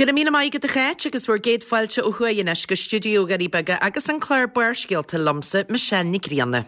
Go raibh míle maith agat a Cháit agus bhur gcéad fáilte ó thuaidh anois go stiúideo Dhoirí Beaga agus an clár Barrscéalta liomsa, Michelle Nic Grianna.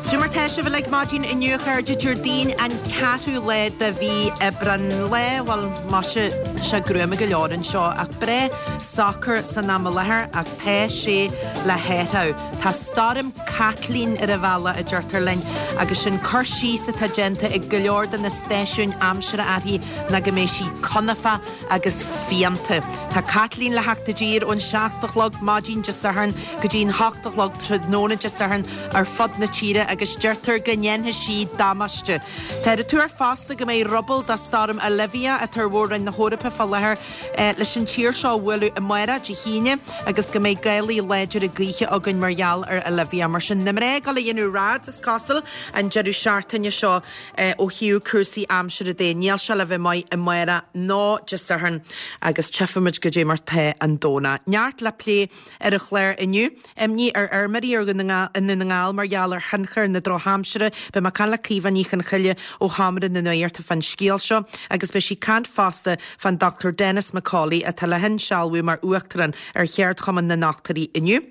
Cad é mar tá sibh uilig maidin inniu a chairde, Déardaoin an ceathrú lá de mhí Aibreán. Lá, bhuel, maise, tá sé gruama go leor anseo ach breá socair san am i láthair ach tá sé le hathrú. Tá Stoirm Caitlín ar an bhealach, a deirtear linn, agus sin cur síos atá déanta ag go leor de na stáisiúin aimsire uirthi ná go mbeidh sí cnapach agus fiánta. Tá Caitlín le theacht i dtír ón 7 a chlog maidin Dé Sathairn go dtí an 8 a chlog tráthnóna Dé Sathairn ar fud na tíre agus deirtear go ndéanfaidh sí damáiste. Táthar ag tuar fosta go mbeidh ruball de Stoirm Olivia, atá ar mhór-roinn na hEorpa fá láthair, leis an tír seo a bhualadh amárach, Dé hAoine, agus go mbeidh gálaí láidire gaoithe againn mar gheall ar Olivia. Mar sin, na mná ag dul a dhéanamh raids, is cosúil, an deireadh seachtaine seo. Ó thaobh cúrsaí aimsire de, níl sé le bheith maith amárach ná Dé Sathairn agus tchífimid goidé mar tá an Domhnach. Neart le plé ar an chlár inniu. Imní ar fheirmeoirí i nDún na nGall mar gheall ar thionchar na drochaimsire. Beidh mé ag caint le Caoimhe Ní Chonchoille ó Sheomra na Nuachta fán scéal seo agus beidh sí ag caint fosta fán Dr Denis McCauley atá le hinsealbhú mar Uachtarán ar Cheardchumann na nDochtúirí inniu.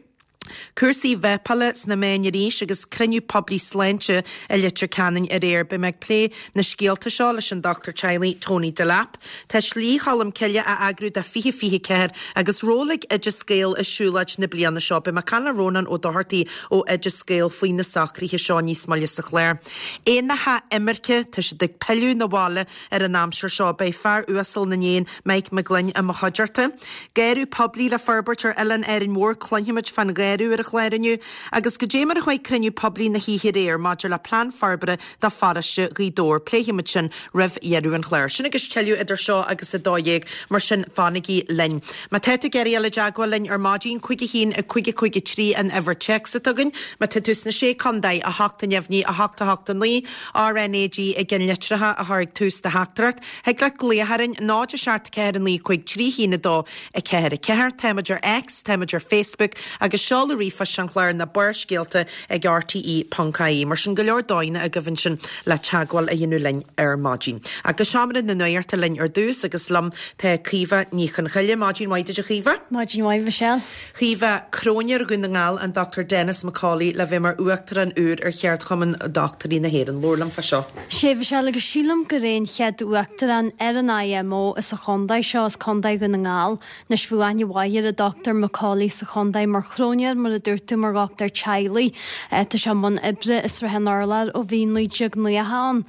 Cúrsaí vápála sna meáin arís agus cruinniú poiblí sláinte i Leitir Ceanainn aréir. Beidh mé ag plé na scéalta seo leis an dochtúir teaghlaigh Tony Delap. Tá Slí Cholm Cille á eagrú do 2024 agus ról ag Oideas Gael i siúlóid na bliana seo. Beidh mé ag caint le Rónán Ó Dochartaigh ó Oideas Gael faoi na socruithe seo níos moille sa chlár. Éanacha imirce, tá siad ag pilleadh 'na bhaile Ar an aimsir seo, beidh fear uasal na n-éan, Mike McGlynn, i mo chuideachta. Garradh poiblí le forbairt ar oileán Árainn Mhór, cluinfimid fán gharradh ar an chlár inniu, agus goidé mar a chuaigh cruinniú poiblí na hoíche aréir maidir le plean forbartha do pharóiste Ghaoth Dobhair. Pléifimid sin roimh dheireadh an chláir. Sin agus tuilleadh idir seo agus 12, mar sin fanaigí linn. Má tá tú ag iarraidh dul i dteagmháil linn ar maidin, 5 1 5 5 3 an uimhir téacs atá againn. Má tá tú sna Sé Contae, 8 neamhní, 8 8 9, RnaG i gceannlitreacha a chur ag tús do theachtaireacht. Thig leat glaoch orainn, 0 7 4 9 5 3 1 2 4 4. Táimid ar X, táimid ar Facebook agus seoladh ríomhphoist an chláir ná Barrscéalta ag rte.ie. Mar sin go leor dóigheanna agaibh ansin le teagmháil a dhéanamh linn ar maidin. Ach go seomra na nuachta linn ar dtús agus liom tá Caoimhe Ní Chonchoille. Maidin mhaith duit a Chaoimhe. Maidin mhaith Michelle. Chaoimhe, Cróinéir Dhún na nGall, an Dr Denis McCauley le bheith mar Uachtarán úr ar Cheardchumann Dochtúirí na hÉireann. Labhair liom fá seo. Sea, Mhichelle, agus sílim gur é an chéad Uachtarán ar an IMO as an chontae seo, as Contae Dhún na nGall. Anois bhí aithne mhaith ar an Dr McCauley sa chontae mar chróinéir, mar a dúirt tú, mar dhochtúir teaghlaigh. Tá sé i mbun oibre i Srath an Urláir ó bhí 1990 ann.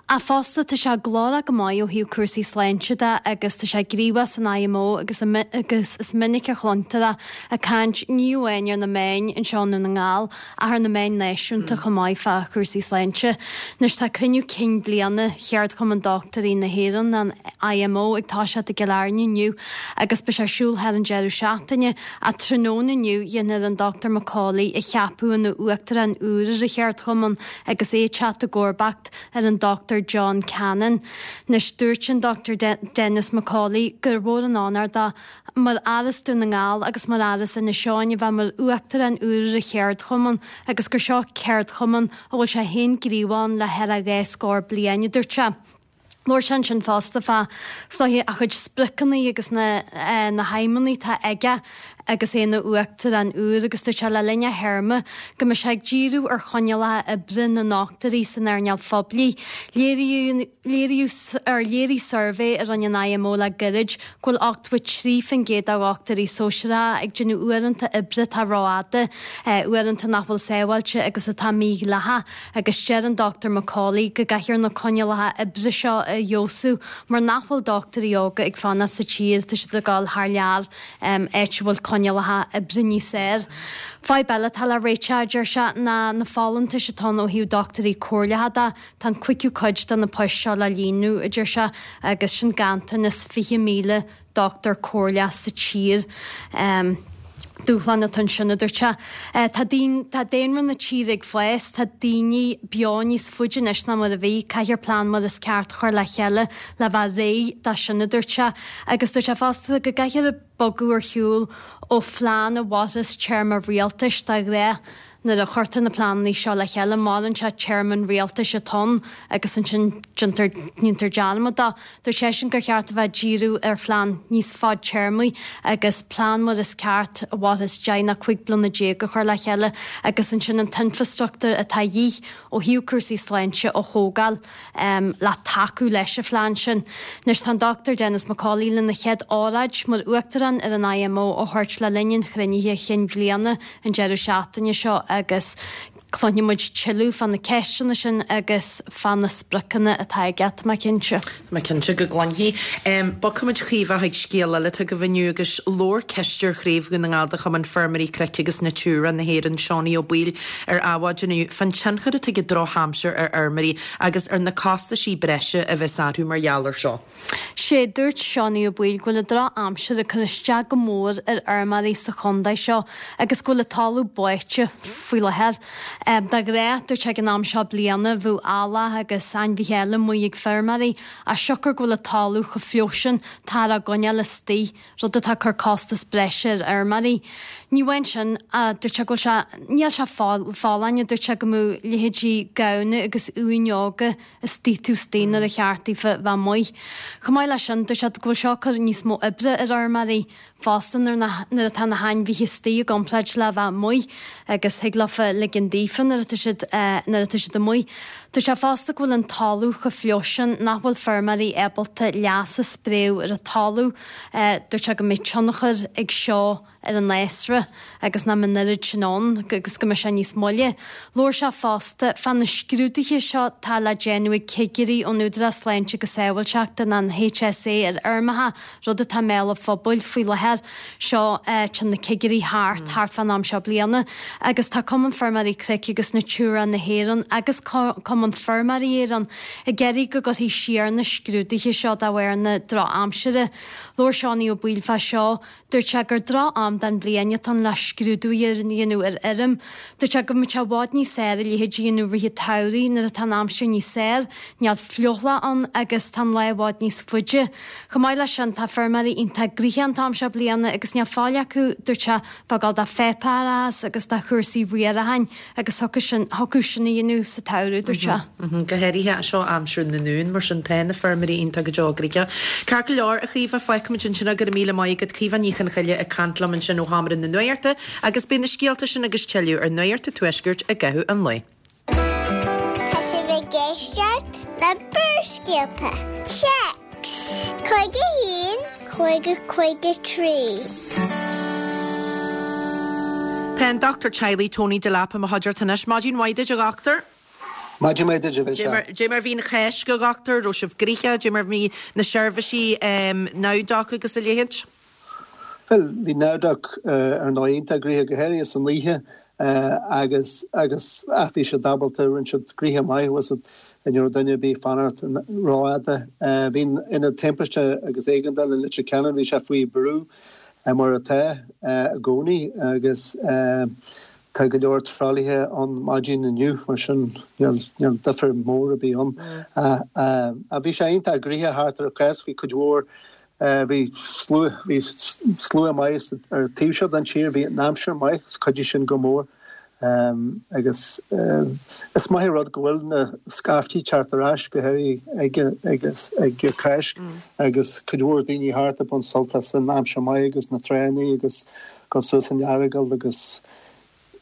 Ach fosta, tá sé glórach go maith ó thaobh cúrsaí sláinte de agus tá sé gníomhach san IMO agus agus is minic a chluintear é ag caint ní amháin ar na meáin anseo i nDún na nGall ach ar na meáin náisiúnta chomh maith fá chúrsaí sláinte. Anois tá cruinniú cinn bliana Cheardchumann Dochtúirí na hÉireann, an IMO, ag toiseacht i gCill Airne inniu agus beidh sé ar siúl thar an deireadh seachtaine ach tráthnóna inniu dhéanfar an Dr McCauley a cheapadh ina Uachtarán úr ar an Cheardchumann agus é ag teacht i gcomharbacht ar an Dr John Cannon. Anois, dúirt an Dr Denis McCauley gur mhór an onóir dó, mar fhear as Dún na nGall agus mar fhear as Inis Eoghain, a bheith mar Uachtarán úr ar an cheardchumann agus gur seo ceardchumann a bhfuil sé féin gníomhach ann le thar a dhá scór bliain, a dúirt sé. Labhair sé ansin fosta fá is dóiche a chuid spriocanna agus na na haidhmeanna atá aige agus é ina uachtarán úr agus dúirt sé le linn a théarma go mbeidh sé ag díriú ar choinníollacha oibre na ndochtúirí san earnáil phoiblí. Léiríodh léiríodh ar léirigh suirbhé a rinne an IMO le gairid go bhfuil 83% de dhochtúirí sóisearacha ag déanamh uaireanta oibre atá rófhada, uaireanta nach bhfuil sábháilte agus atá mídhleathach. Agus deir an Dr McCauley go gcaithfear na coinníollacha oibre seo a fheabhsú mar nach bhfuil dochtúirí óga ag fanacht sa tír, tá siad ag dul thar lear, áit a bhfuil coinníollacha oibre níos fearr. Fadhb eile atá le réiteach, a deir sé, ná na folúntais atá ann ó thaobh dochtúirí comhairleacha de. Tá an cúigiú cuid de na poist seo le líonadh, a deir sé, agus sin ganntanas 20,000 dochtúir comhairleach sa tír. Dúshlán atá ansin, a dúirt sé. Tá tá daonra na tíre ag fás, tá daoine beo níos faide anois ná mar a bhí, caithfear plean mar is ceart a chur le chéile le bheith réidh dó sin, a dúirt sé. Agus dúirt sé fosta go gcaithfear bogadh ar shiúl ó phlean a mhairfeas téarma rialtais de ghnáth Nuair a chuirtear na pleananna seo le chéile, maireann sé téarma an rialtais atá ann agus ansin déantar déantar dearmad de. Dúirt seisean gur cheart a bheith ag díriú ar phlean níos fadtéarmaí agus plean mar is ceart a mhairfeas 10 nó 15 bliana a chur le chéile agus ansin an t-infreastruchtúr atá a dhíth ó thaobh cúrsaí sláinte a thógáil. le tacú leis an phlean sin. Anois tá an Dr Denis McCauley lena chéad óráid mar Uachtarán ar an IMO a thabhairt le linn an chruinnithe chinn bhliana an deireadh seachtaine seo agus cluinfidh muid tuilleadh fá na ceisteanna sin agus fá na spriocanna atá aige, tá mé cinnte. Tá mé cinnte go gcluinfidh. Bogfaimid a Chaoimhe chuig scéal eile atá agaibh inniu agus labhair Cisteoir Chraobh Dhún na nGall de Chumann Feirmeoirí Cnoic agus Natura na hÉireann, Seánie Ó Baoill, ar Adhmhaidin inniu fán tionchar atá ag an drochaimsir ar fheirmeoirí agus ar na costaisí breise a bheas orthu mar gheall air seo. Sé dúirt Seánie Ó Baoill go bhfuil an drochaimsir ag cur isteach go mór ar fheirmeoirí sa chontae seo agus go bhfuil an talamh báite faoi láthair. De ghnáth, dúirt sé ag an am seo bliana, bheadh eallach agus ainmhithe eile amuigh ag feirmeoirí ach siocair go bhfuil an talamh chomh fliuch sin, táthar á gcoinneáil istigh. rud atá ag cur costas breise ar fheirmeoirí. Ní amháin sin, dúirt sé go bhfuil sé, níl sé folláin, dúirt sé go mbeadh leithéidí gamhna agus uain óga istigh taobh istigh nuair a cheart daofa bheith amuigh. Chomh maith leis sin, dúirt sé go bhfuil seo ag cur níos mó oibre ar fheirmeoirí fosta nuair nuair atá na hainmhithe istigh i gcomparáid le bheith amuigh agus thig leofa ligean daofa nuair atá siad nuair atá siad amuigh. Dúirt sé fosta go bhfuil an talamh chomh fliuch sin nach bhfuil feirmeoirí ábalta leas a spréadh ar an talamh. Dúirt sé go mbeidh tionchar ag seo ar an fhásra agus nach mbeidh an oiread sin ann agus go mbeidh sé níos moille. Labhair sé fosta fá na scrúduithe seo atá le déanamh ag cigirí ón Údarás Sláinte agus Sábháilteachta, an HSA, ar fheirmeacha, rud atá i mbéal an phobail faoi láthair. Seo téann na cigirí thart, thart fán am seo bliana agus tá Cumann Feirmeoirí Cnoic agus Natura na hÉireann agus Cumann Feirmeoirí Éireann ag iarraidh go gcuirfí siar na scrúduithe seo de bharr na drochaimsire. Labhair Seánie Ó Baoill fá seo. Dúirt sé gur droch-am den bhliain atá ann le scrúdú a dhéanamh ar fheirm. Dúirt sé go mbeadh sé i bhfad níos fearr a leithéid a dhéanamh rith an tsamhraidh nuair atá an aimsir níos fearr, níl fliuchlá ann agus tá an lá i bhfad níos faide. Chomh maith leis sin, tá feirmeoirí iontach gnoitheach an t-am seo bliana agus níl faill acu, dúirt sé, bheith ag gabháil do pháipéarachas agus do chúrsaí riaracháin agus thiocfadh sin, thiocfadh sin a dhéanamh sa tsamhradh, dúirt sé. Go háirithe, seo aimsir na n-uan, mar sin tá na feirmeoirí iontach go deo gnoitheach. Ceart go leor, a Chaoimhe, fágfaimid ansin é, go raibh míle maith agat. Caoimhe Ní Chonchoille ag caint liom ansin ó Sheomra na Nuachta agus beidh na scéalta sin agus tuilleadh ar Nuacht an Tuaiscirt i gcaitheamh an lae. Tá sibh ag éisteacht le Barrscéalta. Téacs 51 50 53. Tá an Dochtúir Teaghlaigh Tony Delap i mo chuideachta anois. Maidin mhaith duit, a dhochtúir. Maidin mhaith duit, a Mhichelle. Dé mar bhí an Cháisc, a dhochtúir? Raibh sibh gnoitheach? Dé mar bhí na seirbhísí NowDoc agus a leithéid? Bhuel, bhí NowDoc ar ndóigh iontach gnoitheach, go háirithe san oíche agus agus ach bhí siad ábalta, rinne siad gnoithe maith, bhfuil a fhios agat, ní raibh duine ar bith ag fanacht rófhada. Bhí an Ionad Timpiste agus Éigeandála i Leitir Ceanainn, bhí sé faoi bhrú mar atá i gcónaí agus tá go leor tralaithe ann maidin inniu, mar sin níl níl difear mór ar bith ann. Ach bhí sé iontach gnoitheach thart ar an Cháisc, bhí cuid mhór Bhí slua, bhí slua maith ar an taobh seo den tír, bhí an aimsir maith is chuidigh sin go mór agus is maith an rud go bhfuil na scaiftí teacht ar ais, go háirithe ag, ag, ag Cáisc agus cuid mhór daoine thart ag baint sult as an aimsir maith agus na tránna agus dul suas an Earagail agus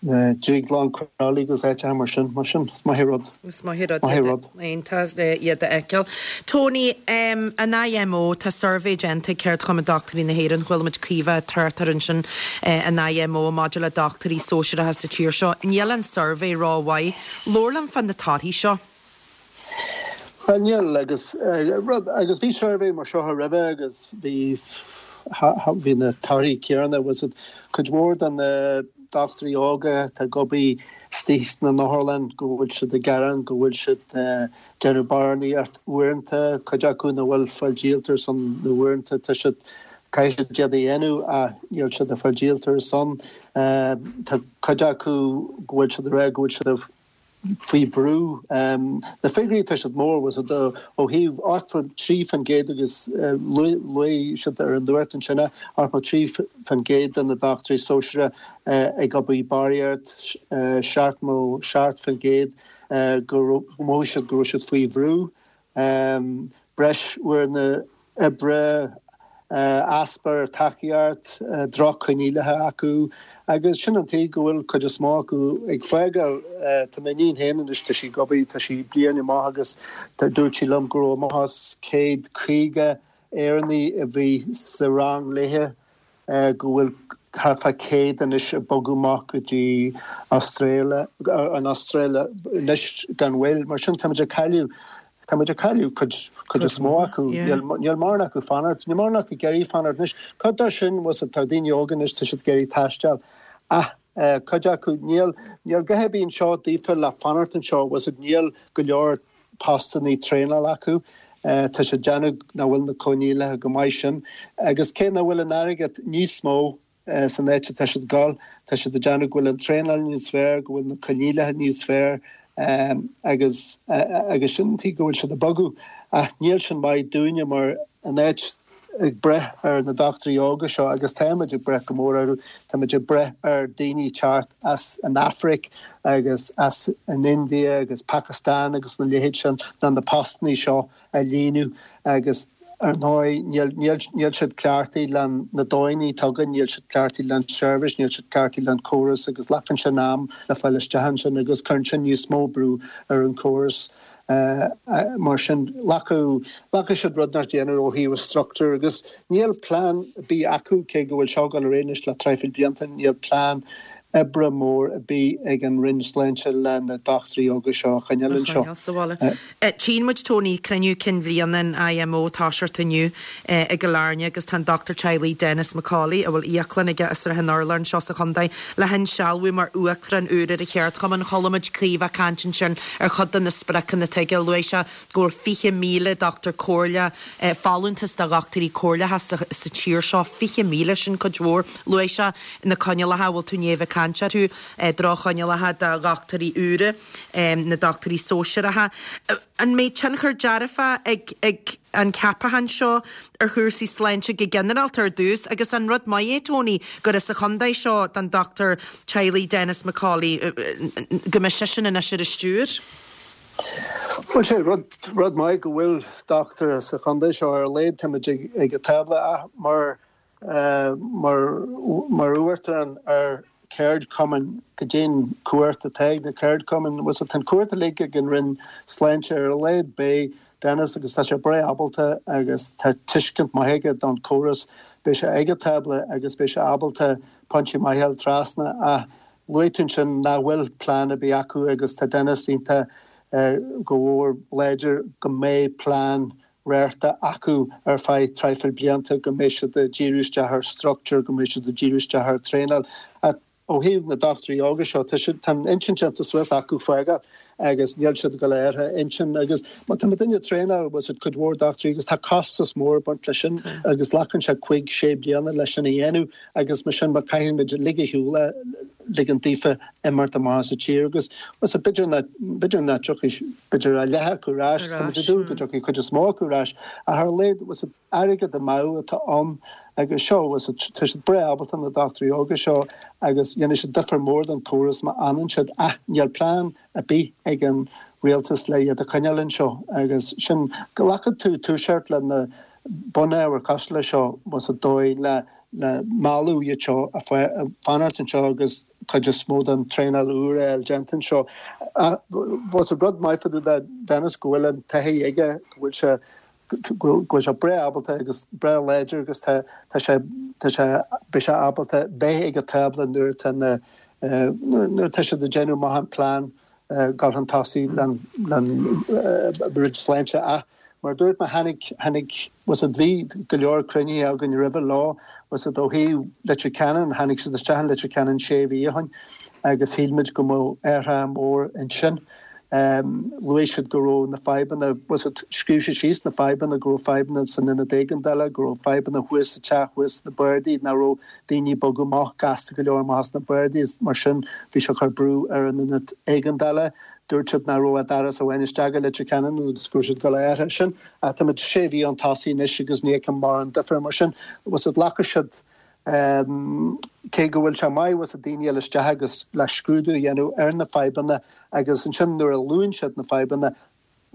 na Drioglann Crolly agus áiteacha mar sin, mar sin, is maith an rud. Is maith an rud iad, iontach iad a fheiceáil. Tony, an IMO, tá suirbhé déanta ag Ceardchumann Dochtúirí na hÉireann, chuala muid Caoimhe ag trácht air ansin, an IMO maidir le dochtúirí sóisearacha sa tír seo. Níl an suirbhé rómhaith. Labhair liom fá na torthaí seo. Bhuel, níl, agus rud, agus bhí suirbhé mar seo roimhe agus bhí, bhí na torthaí céanna, bhfuil a fhios agat, cuid mhór de na dochtúirí óga atá ag obair istigh sna n-otharlann go bhfuil siad ag gearán go bhfuil siad ag déanamh barainneacht uaireanta, cuid acu nach bhfuil fáil díolta ar son na uaireanta, tá siad. Caithfidh siad iad a dhéanamh ach níl siad ag fáil díolta ar son. Tá cuid acu go bhfuil siad ag rá go bhfuil siad faoi bhrú. Na figiúirí tá siad mór, bhfuil a fhios agat, ó thaobh 83% agus luaigh siad ar an nuacht ansin é, 83% de na dochtúirí sóisearacha ag obair barraíocht, 77% go mhothaigh siad go raibh siad faoi bhrú. Breis uaireanna oibre, easpa tacaíocht, droch-choinníollacha acu agus sin an tuige go bhfuil cuid is mó acu ag fágáil. Tá m'iníon féin anois, tá sí ag obair, tá sí bliain amach agus dúirt sí liom go raibh amach as 150 Éireannaigh a bhí sa rang léithe. go bhfuil thart fá 100 anois ag bogadh amach go dtí Astráil, an Astráil anois gan mhoill. Mar sin táimid ag cailleadh, táimid ag cailleadh cuid, cuid is mó acu. Níl, níl mórán acu fanacht, níl mórán acu ag iarraidh fanacht anois. Cuid de sin, bhfuil a fhios agat, tá daoine óga anois, tá siad ag iarraidh taisteal. Ach cuid acu, níl, níl a dhath ar bith anseo daofa le fanacht anseo, bhfuil a fhios agat, níl go leor postannaí traenála acu. Tá siad ag déanamh nach bhfuil na coinníollacha go maith sin. Agus cé nach bhfuil an airgead níos mó san áit atá siad ag dul, tá siad ag déanamh go bhfuil an traenáil níos fearr, go bhfuil na coinníollacha níos fearr agus agus sin an tuige go bhfuil siad ag bogadh. Ach níl sin maith dúinne mar an áit ag brath ar na dochtúirí óga seo agus táimid ag brath go mór orthu. Táimid ag brath ar daoine teacht as an Afraic agus as an India agus Pakistan agus na leithéid sin le na postannaí seo a líonadh agus ar ndóigh níl, níl, níl siad cleachtaithe le na dóigheanna atá againn, níl siad cleachtaithe le an seirbhís, níl siad cleachtaithe le an córas agus glacann sin am le fáil isteach ansin agus cuireann sin níos mó brú ar an córas. Mar sin, ghlacfadh siad rud inteacht a dhéanamh ó thaobh structure agus níl plean ar bith acu, cé go bhfuil seo ag dul ar aghaidh anois le traidhfil blianta, níl plean oibre mór ar bith ag an Roinn Sláinte le na dochtúirí óga seo a choinneáil anseo. sa bhaile. Tchíonn muid, Tony, cruinniú cinn bhliana an IMO ag toiseacht inniu i gCill Airne agus tá an dochtúir teaghlaigh Denis McCauley, a bhfuil íoclann aige i Srath an Urláir anseo sa chontae, le hinsealbhú mar uachtarán úr ar an cheardchumann. Chuala muid Caoimhe ag caint ansin ar chuid de na spriocanna atá aige. Luaigh sé go bhfuil 20,000 dochtúir comhairleach, folúntas do dhochtúirí comhairleacha sa tír seo, 20,000, sin cuid mhór. Luaigh sé na coinníollacha a bhfuil tú i ndiaidh a bheith ag caint orthu, droch-choinníollacha do dhochtúirí úra, na dochtúirí sóisearacha. An mbeidh tionchar dearfach ag an ceapachán seo ar chúrsaí sláinte go ginearálta ar dtús agus an rud maith é, Tony, gur as an chontae seo don dochtúir teaghlaigh Denis McCauley, go mbeidh seisean anois ar an stiúir? Bhuel, sé rud, rud maith go bhfuil dochtúir as an chontae seo ar a laghad táimid ag an tábla ach mar mar mar uachtarán ar cheardchumann, goidé an cumhacht atá ag na ceardchumainn. Bhfuil a fhios agat, tá an cumhacht uilig ag an Roinn Sláinte ar a laghad beidh Denis agus tá sé breá ábalta agus tá tuiscint maith aige don chóras. Beidh sé ag an tábla agus beidh sé ábalta pointí maithe a fháil trasna ach luaigh tú ansin nach bhfuil plean ar bith acu agus tá Denis iontach go mhór láidir go mbeidh plean riartha acu ar feadh traidhfil blianta, go mbeidh siad ag díriú isteach ar structure, go mbeidh siad ag díriú isteach ar traenáil. Ach ó thaobh na dochtúirí óga seo, tá siad, tá an intinn déanta suas acu fágáil agus níl siad ag dul a athrú intinn agus má tá duine ag traenáil, bhfuil a fhios agat, cuid mhór dochtúirí agus tá costas mór ag baint leis sin agus glacann sé cuig, sé bliana leis sin a dhéanamh agus mar sin má caithfidh muid lig ar shiúl é, ligean daofa imeacht amach as an tír agus b'fhéidir nach, b'fhéidir nach dtiocfaidh, b'fhéidir a leath acu ar ais, tá muid ag dúil go dtiocfaidh cuid is mó acu ar ais, ach ar a laghad, bhfuil a fhios agat, airgead amú atá ann agus seo, bhfuil a fhios agat, tá siad breá ábalta na dochtúirí óga seo agus dhéanfaidh siad difear mór don chóras má fhanann siad ach níl plean ar bith ag an rialtas le iad a choinneáil anseo agus sin, glacfaidh tú toiseacht le na bunábhair cosúil leis seo, bhfuil a fhios agat, dóigh le le mealladh iad seo a fanacht anseo agus cuid is mó den traenáil úr a fháil déanta anseo. Bhfuil a fhios agat, rud maith fá dtaobh de Denis go bhfuil an taithí aige, go bhfuil sé go bhfuil sé breá ábalta agus breá láidir agus tá tá sé tá sé beidh sé ábalta bheith ag an tábla nuair atá na nuair atá siad ag déanamh amach an plean dul chun tosaigh le an Roinn Sláinte ach mar a dúirt mé tháinig tháinig bhfuil a fhios agat bhí go leor cruinnithe againn roimhe leo bhfuil a fhios agat ó thaobh Leitir Ceanainn tháinig siad isteach in Leitir Ceanainn sé mhí ó shin agus shíl muid go mbeadh athrach mór ansin. Luaigh siad go raibh na fadhbanna, bhfuil a fhios agat, scríobh siad síos na fadhbanna, go raibh fadhbanna san ionad éigeandála, go raibh fadhbanna thuas sa teach, thuas sna bardaí, nach raibh daoine ag bogadh amach gasta go leor amach as na bardaí is mar sin bhí sé ag cur brú ar an ionad éigeandála. Dúirt siad nach raibh ach doras amháin isteach go Leitir Ceanainn agus go raibh siad ag dul a athrú sin. Ach táimid sé mhí chun tosaigh anois agus ní fheicim mórán difear mar sin. Bhfuil a fhios agat, glacfaidh siad Cé go bhfuil sé maith bhfuil a fhios agat daoine a fháil isteach agus le scrúdú a dhéanamh ar na fadhbanna agus ansin nuair a luann siad na fadhbanna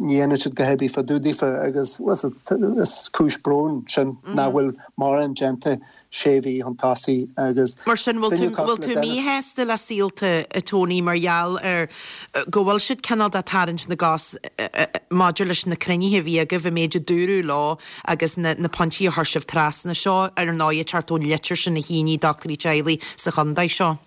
ní dhéanann siad a dhath ar bith fá dtaobh daofa agus bhfuil a fhios agat is cúis bróin sin nach bhfuil mórán déanta sé mhí chun tosaigh agus Mar sin, bhfuil tú duine bhfuil cosúil tú le Denis míshásta le Saolta, a Tony, mar gheall ar go bhfuil siad cineál de tarraingt na gcos maidir leis na cruinnithe a bhí agaibh, an méid a dúradh leo agus na na pointí a chuir sibh trasna. Seo, ar ndóigh, ag teacht ón litir sin a shínigh dochtúirí teaghlaigh sa chontae seo.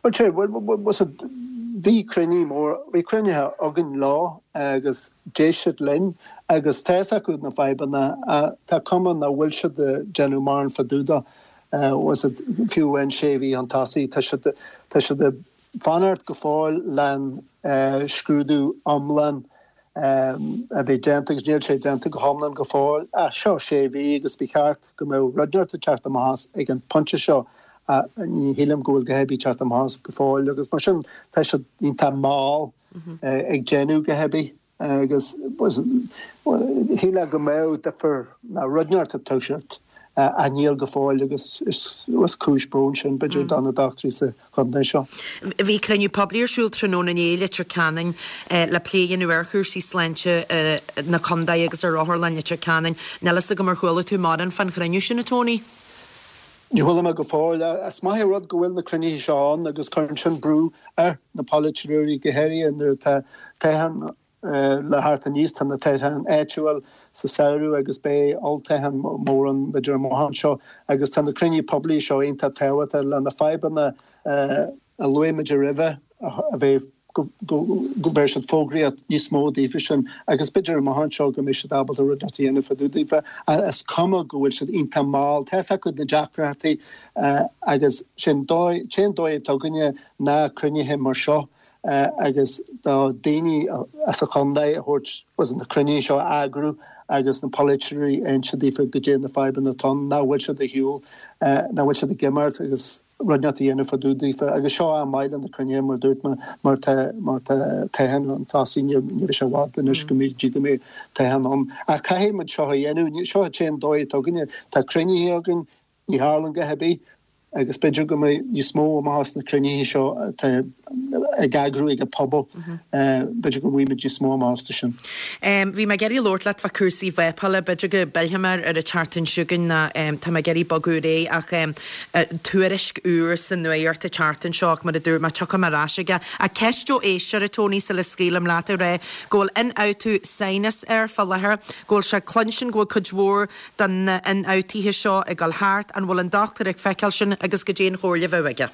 Bhuel, sea, bhuel, bhfuil a fhios agat, bhí cruinniú mór, bhí cruinnithe againn leo agus d'éist siad linn agus tá fhios acu na fadhbanna ach tá cuma nach bhfuil siad ag déanamh mórán fá dtaobh dó. Bhfuil a fhios agat, fiú amháin sé mhí chun tosaigh, tá siad, tá siad ag fanacht go fóill len scrúdú iomlán a bheith déanta agus níl sé déanta go hiomlán go fóill. Ach seo sé mhí agus ba cheart go mbeadh rud inteacht ag teacht amach as ag an pointe seo ach ní shílim go bhfuil a dhath ar bith ag teacht amach as go fóill agus mar sin tá siad iontach mall ag déanamh a dhath ar bith. Agus shílfeá go mbeadh difear nó rud inteacht ag toiseacht ach níl go fóill agus is cúis bróin sin b'fhéidir do na dochtúirí sa chontae seo. Bhí cruinniú poiblí ar siúl tráthnóna inné i Leitir Ceanainn le plé a dhéanamh ar chúrsaí sláinte na contae agus ar Otharlann Leitir Ceanainn. Níl fhios agam ar chuala tú mórán fán chruinniú sin, a Tony? Ní chuala mé go fóill. Is maith an rud go bhfuil na cruinnithe seo ann agus cuireann sin brú ar na polaiteoirí, go háirithe nuair atá toghchán le theacht aníos. Tá na toghcháin áitiúil sa samhradh agus beidh olltoghchán mór ann b'fhéidir amach anseo agus tá na cruinnithe poiblí seo iontach tábhachtach le na fadhbanna a luaigh muid roimhe a bheith go mbeidh siad fógraíocht níos mó daofa sin agus b'fhéidir amach anseo go mbeidh siad ábalta rud inteacht a dhéanamh fá dtaobh daofa. Is cuma go bhfuil siad iontach mall, tá fhios acu na deacrachtaí agus sin dóigh, t-aon dóigh atá againne ná cruinnithe mar seo agus do daoine as an chontae a thabhairt agus na cruinnithe seo a eagrú agus na polaiteoirí a inse daofa goidé na fadhbanna atá ann, nach bhfuil siad ar shiúl, nach bhfuil siad ag imeacht agus. rud inteacht a dhéanamh fá dtaobh daofa agus seo am maith le na cruinnithe mar dúirt mé mar tá mar tá toghchán chun tosaigh ní ní bheidh sé i bhfad anois go mbeidh dtí go mbeidh toghchán ann ach caithfidh muid seo a dhéanamh seo an t-aon dóigh atá againne tá cruinnithe againn ní tharlaíonn a dhath ar bith agus b'fhéidir go mbeidh níos mó amach as na cruinnithe seo atá ag eagrú ag an pobal b'fhéidir go bhfaighimid níos mó amach astu sin. Bhí mé ag iarraidh labhairt leat fá cúrsaí vápála, b'fhéidir go bpillfidh mé air an tseachtain seo chugainn ná tá mé ag iarraidh bogadh ar aghaidh ach tuairisc úr sa nuacht an tseachtain seo ach mar a dúirt mé tiocfaidh mé ar ais aige. Ach ceist ó éisteoir, a Tony, sula scaoilim leat ag rá go bhfuil ionfhabhtú sinus air fá láthair, go bhfuil sé ag cluinstin go bhfuil cuid mhór de na hionfhabhtuithe seo ag dul thart, an bhfuil an dochtúir ag feiceáil sin agus goidé an chomhairle a bheadh aige?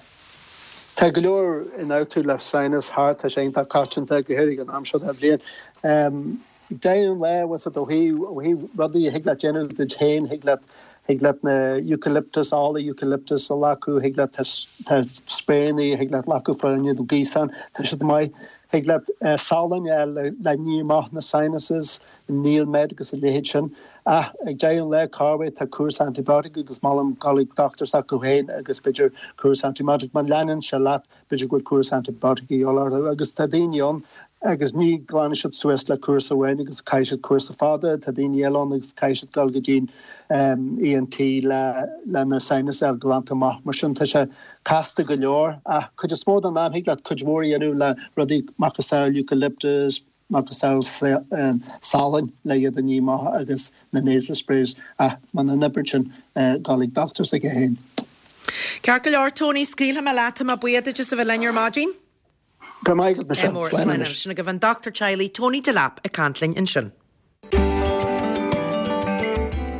Tá go leor ionfhabhtú le sinus thart, tá sé iontach coitianta, go háirithe ag an am seo den bhliain. Ag deireadh an lae, bhfuil 's agat, ó thaobh, ó thaobh rudaí a thig leat déanamh duit féin, thig leat, thig leat na eucalyptus, ola eucalyptus a ghlacadh, thig leat, tá, tá spraeanna a thig leat glacadh fá choinne do gaosán, tá siad maith. Thig leat salann a fháil le, le ní amach na sinuses, NeilMed agus a leithéid sin. Ach ag deireadh an lae, corruair tá cúrsa antibiotic agus molaim dul ag dochtúir s'acu féin agus b'fhéidir cúrsa antibiotic. Má leanann sé leat, b'fhéidir go bhfuil cúrsa antibiotic a dhíobháil orthu. Agus tá daoine ann agus ní ghlanann siad suas le cúrsa amháin agus caithfidh siad cúrsa fada. Tá daoine eile ann agus caithfidh siad dul go dtí an ENT le le na sinus a fháil glanta amach. Mar sin tá sé casta go leor. Ach cuid is mó den am thig leat cuid mhór a dhéanamh le rudaí macasamhail eucalyptus, macasamhail salainn le iad a ní amach agus na nasal sprays ach muna n-oibríonn sin dul ag dochtúir s'aige féin. Ceart go leor Tony, scaoilfidh mé leat, tá mé buíoch duit as a bheith linn ar maidin. Go raibh maith agat Michelle, slán anois. Sin agaibh an dochtúir teaghlaigh Tony Delap ag caint linn ansin.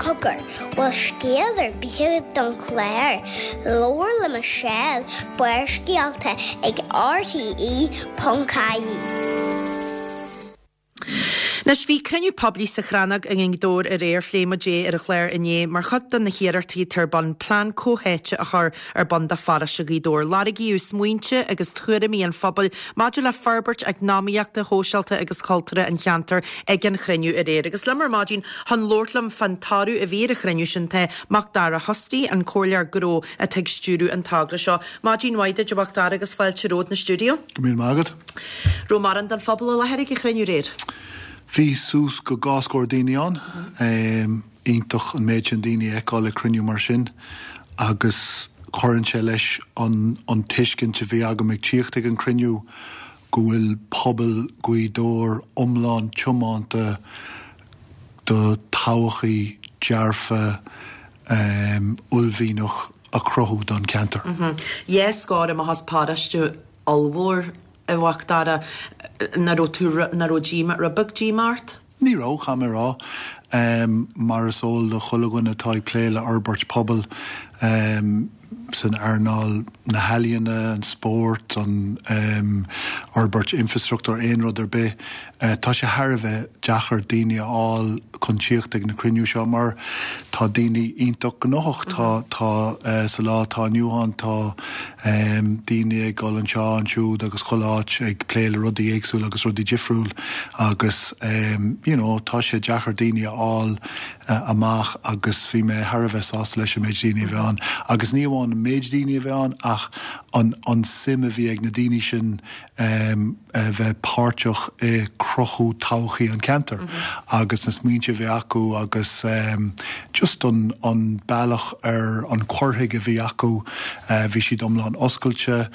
Cogar, bhfuil scéal ar bith agat don chlár? Labhair le Michelle, Barrscéalta ag RTE.ie. Anois, bhí cruinniú poiblí sa Chrannóg i nGaoth Dobhair aréir, phléigh muid é ar an chlár inné, mar chuid de na hiarrachtaí atá ar bun plean comhtháite a chur ar bun do pharóiste Ghaoth Dobhair. Lorgaíodh smaointe agus tuairimí an phobail maidir le forbairt eacnamaíochta, shóisialta agus chultúrtha an cheantair ag an chruinniú aréir. Agus liom ar maidin chun labhairt liom fán toradh a bhí ar an chruinniú sin tá Macdara Hosty, an comhairleoir gnó atá ag stiúradh an togra seo. Maidin mhaith duit a Mhacdara agus fáilte romhat 'na stiúideo. Go míle maith agat. Raibh mórán den phobal i láthair ag an chruinniú aréir? Bhí suas go dhá scór daoine ann. Iontach an méid sin daoine a fheiceáil ag cruinniú mar sin agus cuireann sé leis an an tuiscint a bhí agam ag tíocht ag an cruinniú go bhfuil pobal Ghaoth Dobhair iomlán tiomanta do todhchaí dearfa uaillmhianach a chruthú don cheantar. Dhá scór amach as paróiste ollmhór, a Mhacdara, nach raibh tú, nach raibh díomá, rud beag díomá ort? Ní raibh, caithfidh mé a rá. Mar is eol do chuile dhuine atá ag plé le fhorbairt pobail san earnáil na healaíona, an spórt, an fhorbairt infreastruchtúir, aon rud ar bith, Tá sé thar a bheith deacair daoine a fháil chun tíocht ag na cruinniú seo mar tá daoine iontach gnóthach. Tá, tá, sa lá atá inniu ann tá daoine ag dul anseo, ansiúd agus chuile áit ag plé le rudaí éagsúla agus rudaí difriúil agus you know tá sé deacair daoine a fháil amach agus bhí mé thar a bheith sásta leis an méid daoine a bhí ann. Agus ní amháin an méid daoine a bhí ann ach an, an suim a bhí ag na daoine sin a bheith páirteach i cruthú todhchaí an cheantair agus na smaointe a bhí acu agus just an an bealach ar an cur chuige a bhí acu, bhí siad iomlán oscailte,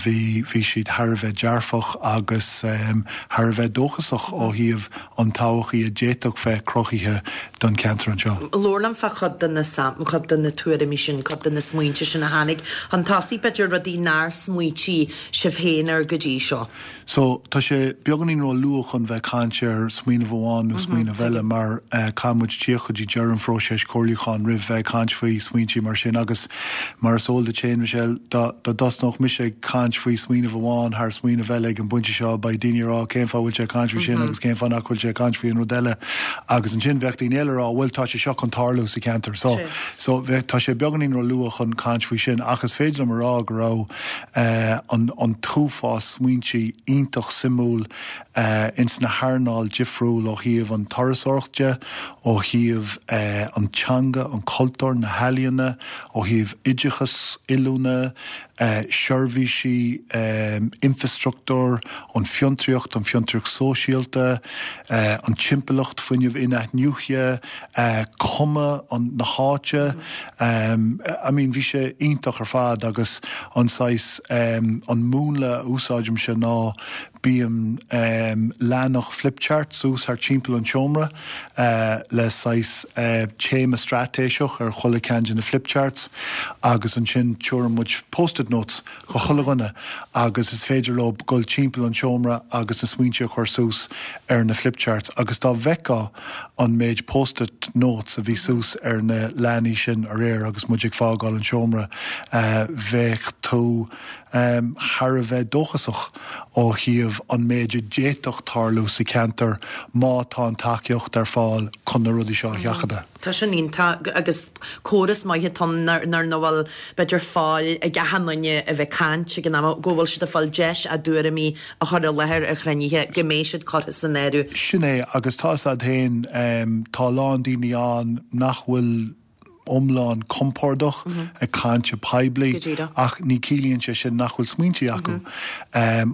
bhí bhí siad thar a bheith dearfach agus thar a bheith dóchasach ó thaobh an todhchaí a d'fhéadfadh bheith cruthaithe don cheantar anseo. Labhair liom fá chuid de na cuid de na tuairimí sin, cuid de na smaointe sin a tháinig chun tosaigh, b'fhéidir rudaí nár smaoitigh sibh féin air go dtí seo? So, tá sé beagáinín ró-luath chun bheith ag caint ar smaoineamh amháin nó smaoineamh eile mar caithfidh muid tíocht go dtí deireadh an phróiseas comhairliúcháin roimh bheith ag caint faoi smaointí mar sin agus mar is eol duit féin, Michelle, dá dtosnódh mise ag caint faoi smaoineamh amháin thar smaoineamh eile ag an bpointe seo beidh daoine ag rá cén fáth a bhfuil sé ag caint faoi sin agus cén fáth nach bhfuil sé ag caint faoi an rud eile agus ansin bheadh daoine eile ag rá bhuel tá sé seo chun tarlú sa cheantar. So, so tá sé beagáinín ró-luath chun caint faoi sin ach is féidir liom a rá go raibh an t-uafás smaointe iontach suimiúil ins na hearnáil difriúil ó thaobh an turasóireacht de, ó thaobh an teanga, an cultúr, na healaíona, ó thaobh oideachas, oiliúna, seirbhísí, infreastruchtúr, an fiontraíocht, an fiontraíocht sóisialta, an timpeallacht, fuinneamh in-athnuaite, cuma na háite, I mean bhí sé iontach ar fad agus an saghas, an múnla a úsáidimse ná bíonn leathanach flipchart suas thart timpeall an tseomra le saghas téama straitéiseach ar chuile ceann de na flipcharts agus ansin tabharann muid post-it notes do chuile dhuine agus is féidir leo dul timpeall an tseomra agus na smaointe a chur suas ar na flipcharts agus dá bhfeicfeá an méid post-it notes a bhí suas ar na leathanaigh sin aréir agus muid ag fágáil an seomra bheadh tú thar a bheith dóchasach ó thaobh an méid a d'fhéadfadh tarlú sa cheantar má tá an tacaíocht ar fáil chun na rudaí seo a sheachadadh. Tá sin iontach agus córas maith atá ann nuair nach bhfuil b'fhéidir fáil ag achan duine a bheith ag caint ag an am go bhfuil siad ag fáil deis a dtuairimí a chur i láthair ar chruinnithe go mbeidh siad curtha san áireamh. Sin é agus tá 'fhios a'd féin tá a lán daoine ann nach bhfuil iomlán compordach ag caint go poiblí ach ní ciallaíonn sé sin nach bhfuil smaointe acu.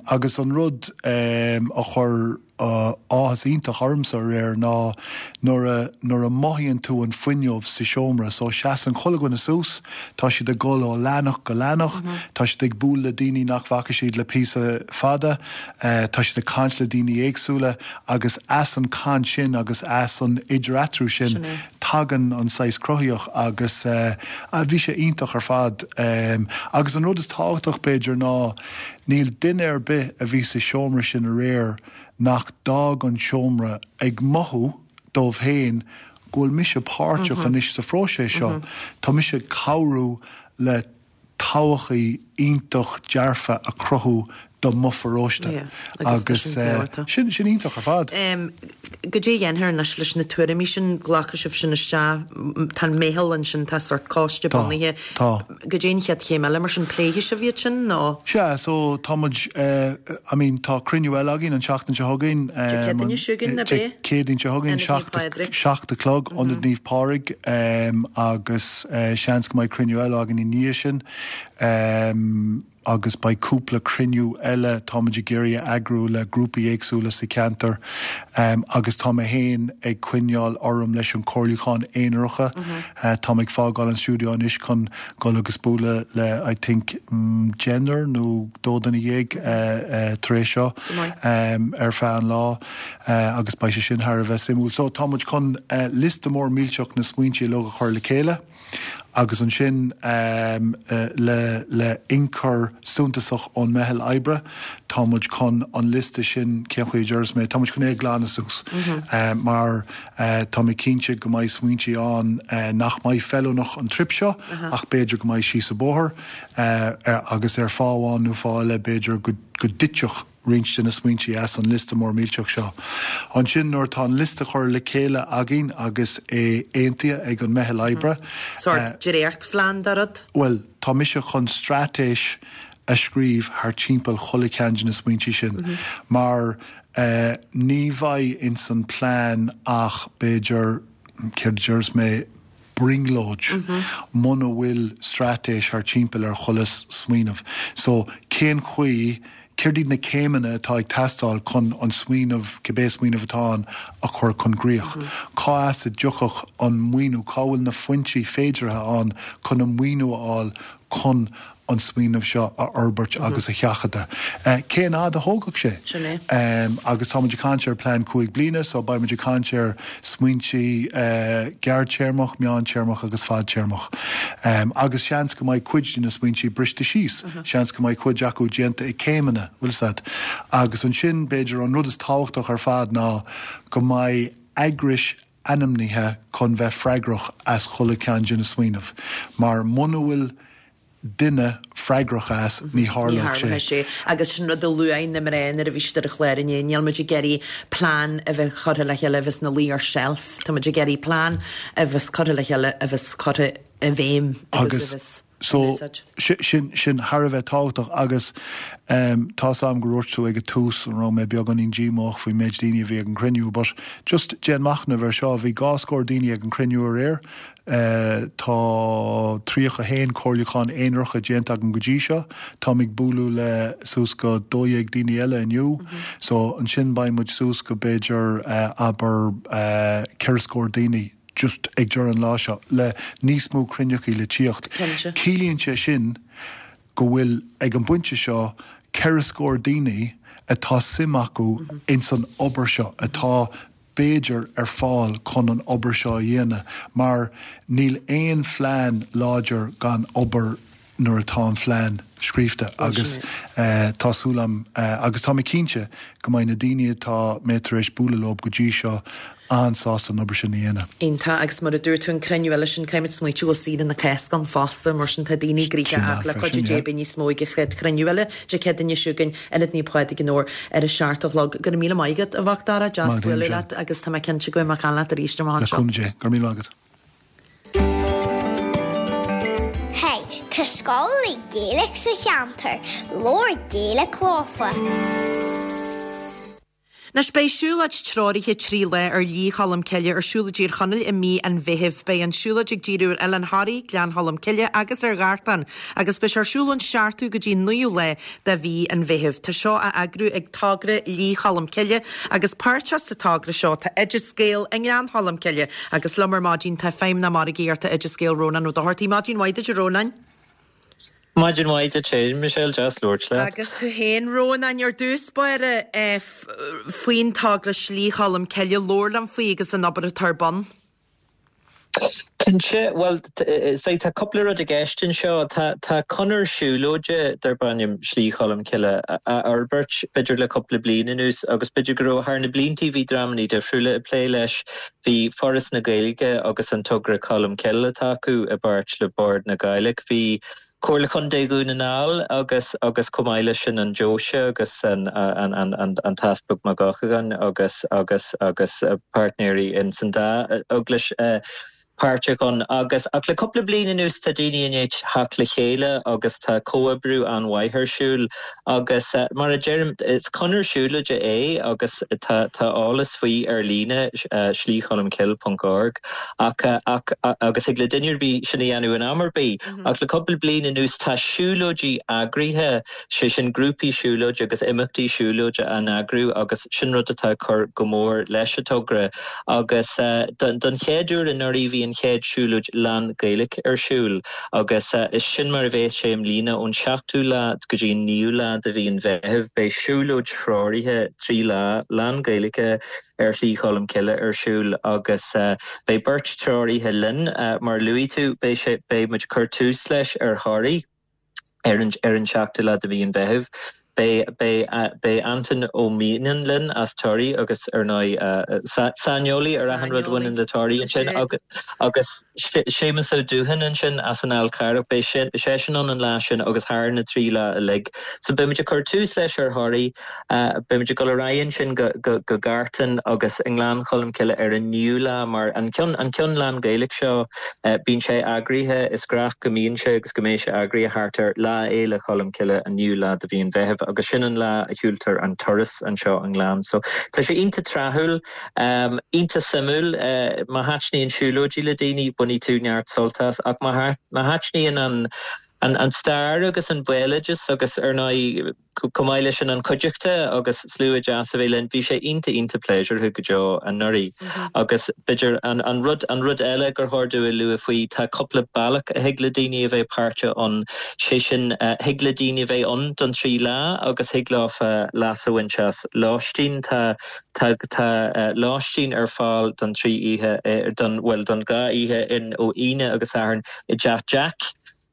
Agus an rud a chuir áthas iontach ormsa aréir ná nuair a, nuair a mothaíonn tú an fuinneamh sa seomra. So seasann chuile dhuine suas, tá siad ag dul ó leathanach go leathanach, tá siad ag bualadh le daoine nach bhfaca siad le píosa fada, tá siad ag caint le daoine éagsúla agus as an chaint sin agus as an idir-eatarthu sin tagann an saghas cruthaíocht agus bhí sé iontach ar fad. Agus an rud is tábhachtach b'fhéidir ná Níl duine ar bith a bhí sa seomra sin aréir nach d'fhág an seomra ag mothú dóibh féin go bhfuil mise páirteach anois sa phróiseas seo, tá mise ag cabhrú le todhchaí iontach dearfa a chruthú do mo pharóiste agus sin iontach ar fad. Goidé a dhéanfar anois leis na tuairimí sin, glacfaidh sibh sin isteach, tá an meitheal ansin, tá sórt coiste bunaithe. Tá. Goidé an chéad chéim eile mar sin, pléifidh sibh iad sin nó? Sea, so tá muid, I mean tá cruinniú eile againn an tseachtain seo chugainn. Dé Céadaoine seo chugainn, ab é? Dé Céadaoine seo chugainn, 7 a chlog, Ionad Naomh Pádraig agus seans go mbeidh cruinniú eile againn i ndiaidh sin. agus beidh cúpla cruinniú eile táimid ag iarraidh a eagrú le grúpaí éagsúla sa cheantar agus tá mé féin ag coinneáil orm leis an comhairliúchán aonaracha. Tá mé ag fágáil an stiúideo anois chun dul agus bualadh le I think deichniúr nó 12 tar éis seo ar feadh an lá agus beidh sé sin thar a bheith suimiúil. So tá muid chun liosta mór millteach na smaointe uilig a chur le chéile. agus ansin le le ionchur suntasach ón meitheal oibre, tá muid chun an liosta sin, cén chaoi a déarfas mé, tá muid chun é a ghlanadh suas mar tá mé cinnte go mbeidh smaointe ann nach mbeidh feiliúnach an trip seo ach b'fhéidir go mbeidh síos an bóthar agus ar fáth amháin nó fáth eile b'fhéidir go dtitfeadh roinnt de na smaointe as an liosta mór millteach seo. Ansin nuair atá an liosta curtha le chéile againn agus é aontaithe ag an meitheal oibre. Sórt dréachtphlean de rud? Bhuel, tá mise chun straitéis a scríobh thar timpeall chuile cheann de na smaointe sin mar ní bheidh ins an plean ach b'fhéidir, céard a déarfas mé, brionglóid muna bhfuil straitéis thar timpeall ar chuile smaoineamh. So, cén chaoi, céard iad na céimeanna atá ag teastáil chun an smaoineamh, cibé smaoineamh atá ann, a chur chun gcríoch? Cá as a dtiocfadh an maoiniú, cá bhfuil na foinsí féideartha ann chun an maoiniú a fháil chun an smaoineamh seo a fhorbairt agus a sheachadadh. Cén fhad a thógfadh sé? Sin é. Agus tá muid ag caint ar plean 5 bliana, so beidh muid ag caint ar smaointí gearrtéarmach, meántéarmach agus fadtéarmach. Agus seans go mbeidh cuid de na smaointí briste síos, seans go mbeidh cuid acu déanta i céimeanna, bhfuil 'fhios a'd. Agus ansin, b'fhéidir an rud is tábhachtach ar fad ná go mbeidh eagrais ainmnithe chun bheith freagrach as chuile cheann de na smaoineamh, mar muna bhfuil duine freagrach as, ní tharlódh sé. Ní tharlóidh sé. Agus sin rud a luaigh na mná nuair a bhí siad ar an chlár inné, níl muid ag iarraidh plean a bheith curtha le chéile a bheas ina luí ar shelf, tá muid ag iarraidh plean a bheas curtha le chéile a bheas curtha i bhfeidhm agus a bheas in úsáid. Sin, sin thar a bheith tábhachtach agus tá's a'm go ndúirt tú ag an tús an raibh mé beagáinín díomách faoin méid daoine a bhí ag an cruinniú but just déan machnamh ar seo, bhí dhá scór daoine ag an cruinniú aréir, tá 31 comhairliúchán aonaracha déanta agam go dtí seo, táim ag bualadh le suas go 12 daoine eile inniu so ansin beidh muid suas go b'fhéidir abair ceithre scór daoine. just ag deireadh an lá seo, le níos mó cruinneachaí le tíocht. Ciallaíonn sé sin go bhfuil, ag an bpointe seo, ceithre scór daoine atá suim acu ins an obair seo, atá, b'fhéidir, ar fáil chun an obair seo a dhéanamh, mar níl aon phlean láidir gan obair nuair atá an phlean scríofa agus tá súil agam agus tá mé cinnte go mbeidh na daoine atá mé tar éis bualadh leo go dtí seo an-sásta an obair sin a dhéanamh. Iontach, agus mar a dúirt tú an cruinniú eile sin caithfimid smaoitiú go bhfuil Saoire na Cásca ann fosta, mar sin tá daoine gnoitheach ach le cuidiú Dé beidh níos mó ag an chéad chruinniú eile Dé Céadaoine seo chugainn, Ionad Naomh Pádraig an Fheabhair ar a seacht a chlog. Go raibh míle maith agat, a Mhacdara, deas bualadh leat agus tá mé cinnte go mbeidh mé ag caint leat arís amach Le anseo. cúnamh Dé. Go raibh míle maith agat. Hey, tá scoil Gaeilge sa cheantar, labhair Gaeilge leofa. Anois beidh siúlóid treoraithe 3 lá ar Shlí Cholm Cille ar siúl i dTír Chonaill i mí an Mheithimh. Beidh an siúlóid ag díriú ar Oileán Thoraí, Gleann Cholm Cille agus ar Ghartán agus beidh sé ar siúl ón seachtú go dtí an naoú lá de mhí an Mheithimh. Tá seo á eagrú ag Togra Shlí Cholm Cille agus páirteach sa togra seo tá Oideas Gael i nGleann Cholm Cille agus liom ar maidin tá Feidhmeannach Margaíochta Oideas Gael Rónán Ó Dochartaigh. Maidin mhaith duit a Rónáin. Maidin mhaith duit féin, Michelle, deas labhairt leat. Agus tú féin, Rónáin, ar dtús báire faoin togra Slí Cholm Cille, labhair liom faoi agus an obair atá ar bun. Cinnte, bhuel, tá cúpla rud i gceist anseo. Tá conair siúlóide darb ainm Slí Cholm Cille á fhorbairt b'fhéidir le cúpla bliain anuas agus b'fhéidir go raibh thar na blianta bhí dreamanna difriúla ag plé leis. Bhí Foras na Gaeilge agus an togra Colmcille atá acu i bpáirt le Bord na Gàidhlig. Bhí. Comhairle Chontae Dhún na nGall agus agus chomh maith leis sin an Deoise agus an an an an an tEaspag Mac Eochagáin agus agus agus páirtnéirí in san dá eaglais páirteach ann agus ach le cúpla bliain anuas tá daoine i ndiaidh theacht le chéile agus tá comhoibriú an-mhaith ar siúl agus mar a deirim is conair siúlóide é agus tá tá eolas faoi ar líne slícholmcille ponc org ach ach agus thig le duine ar bith sin a dhéanamh in am ar bith ach le cúpla bliain anuas tá siúlóidí eagraithe sé sin grúpaí siúlóide agus imeachtaí siúlóide á n-eagrú agus sin rud atá ag cur go mór leis an togra agus don chéad uair anuraidh bhí an chéad siúlóid lán-Ghaeilge ar siúl agus is sin mar a bheas sé i mbliana ón seachtú lá go dtí an naoú lá de mhí an Mheithimh beidh siúlóid threoraithe 3 lá lán-Ghaeilge ar Shlí Cholm Cille ar siúl agus beidh beirt treoraithe linn mar a luaigh tú beidh sé beidh muid ag cur tús leis ar Thoraigh. Ar an ar an seachtú lá de mhí an Mheithimh, beidh beidh beidh Antain Ó Mianáin linn as Toraigh agus ar ndóigh saineolaí ar achan rud a bhaineann le Toraigh ansin agus agus Séamus Ó Dúthain ansin as an Fhál Carrach, beidh seisean ann an lá sin agus thar na 3 lá uilig. So beidh muid ag cur tús leis ar Thoraigh. Beimid ag dul ar aghaidh ansin go Gartan agus i nGleann Cholm Cille ar an naoú lá mar an ceann an ceann lán-Ghaeilge seo bíonn sé eagraithe, is gnách go mbíonn sé agus go mbeidh sé eagraithe thart ar Lá Fhéile Cholm Cille, an naoú lá de mhí an Mheithimh agus sin an lá a shiúltar an turas anseo i nGleann. So tá sé iontach tráthúil, iontach suimiúil. Má thaitníonn siúlóidí le daoine bainfidh tú neart sult as ach má thaitníonn an an stair agus an béaloideas agus ar ndóigh, Chomh maith leis sin an chuideachta agus slua deas a bheith linn, bhí sé iontach iontach pléisiúrtha go deo anuraidh. Agus b'fhéidir an an rud an rud eile gur chóir domh a lua faoi, tá cúpla bealach a thig le daoine a bheith páirteach ann, sé sin thig le daoine a bheith ann don 3 lá agus thig leofa leas a bhaint as lóistín. Tá tá tá lóistín ar fáil don 3 oíche don bhuel don 2 oíche in ó Aoine agus Satharn i dTeach Jack.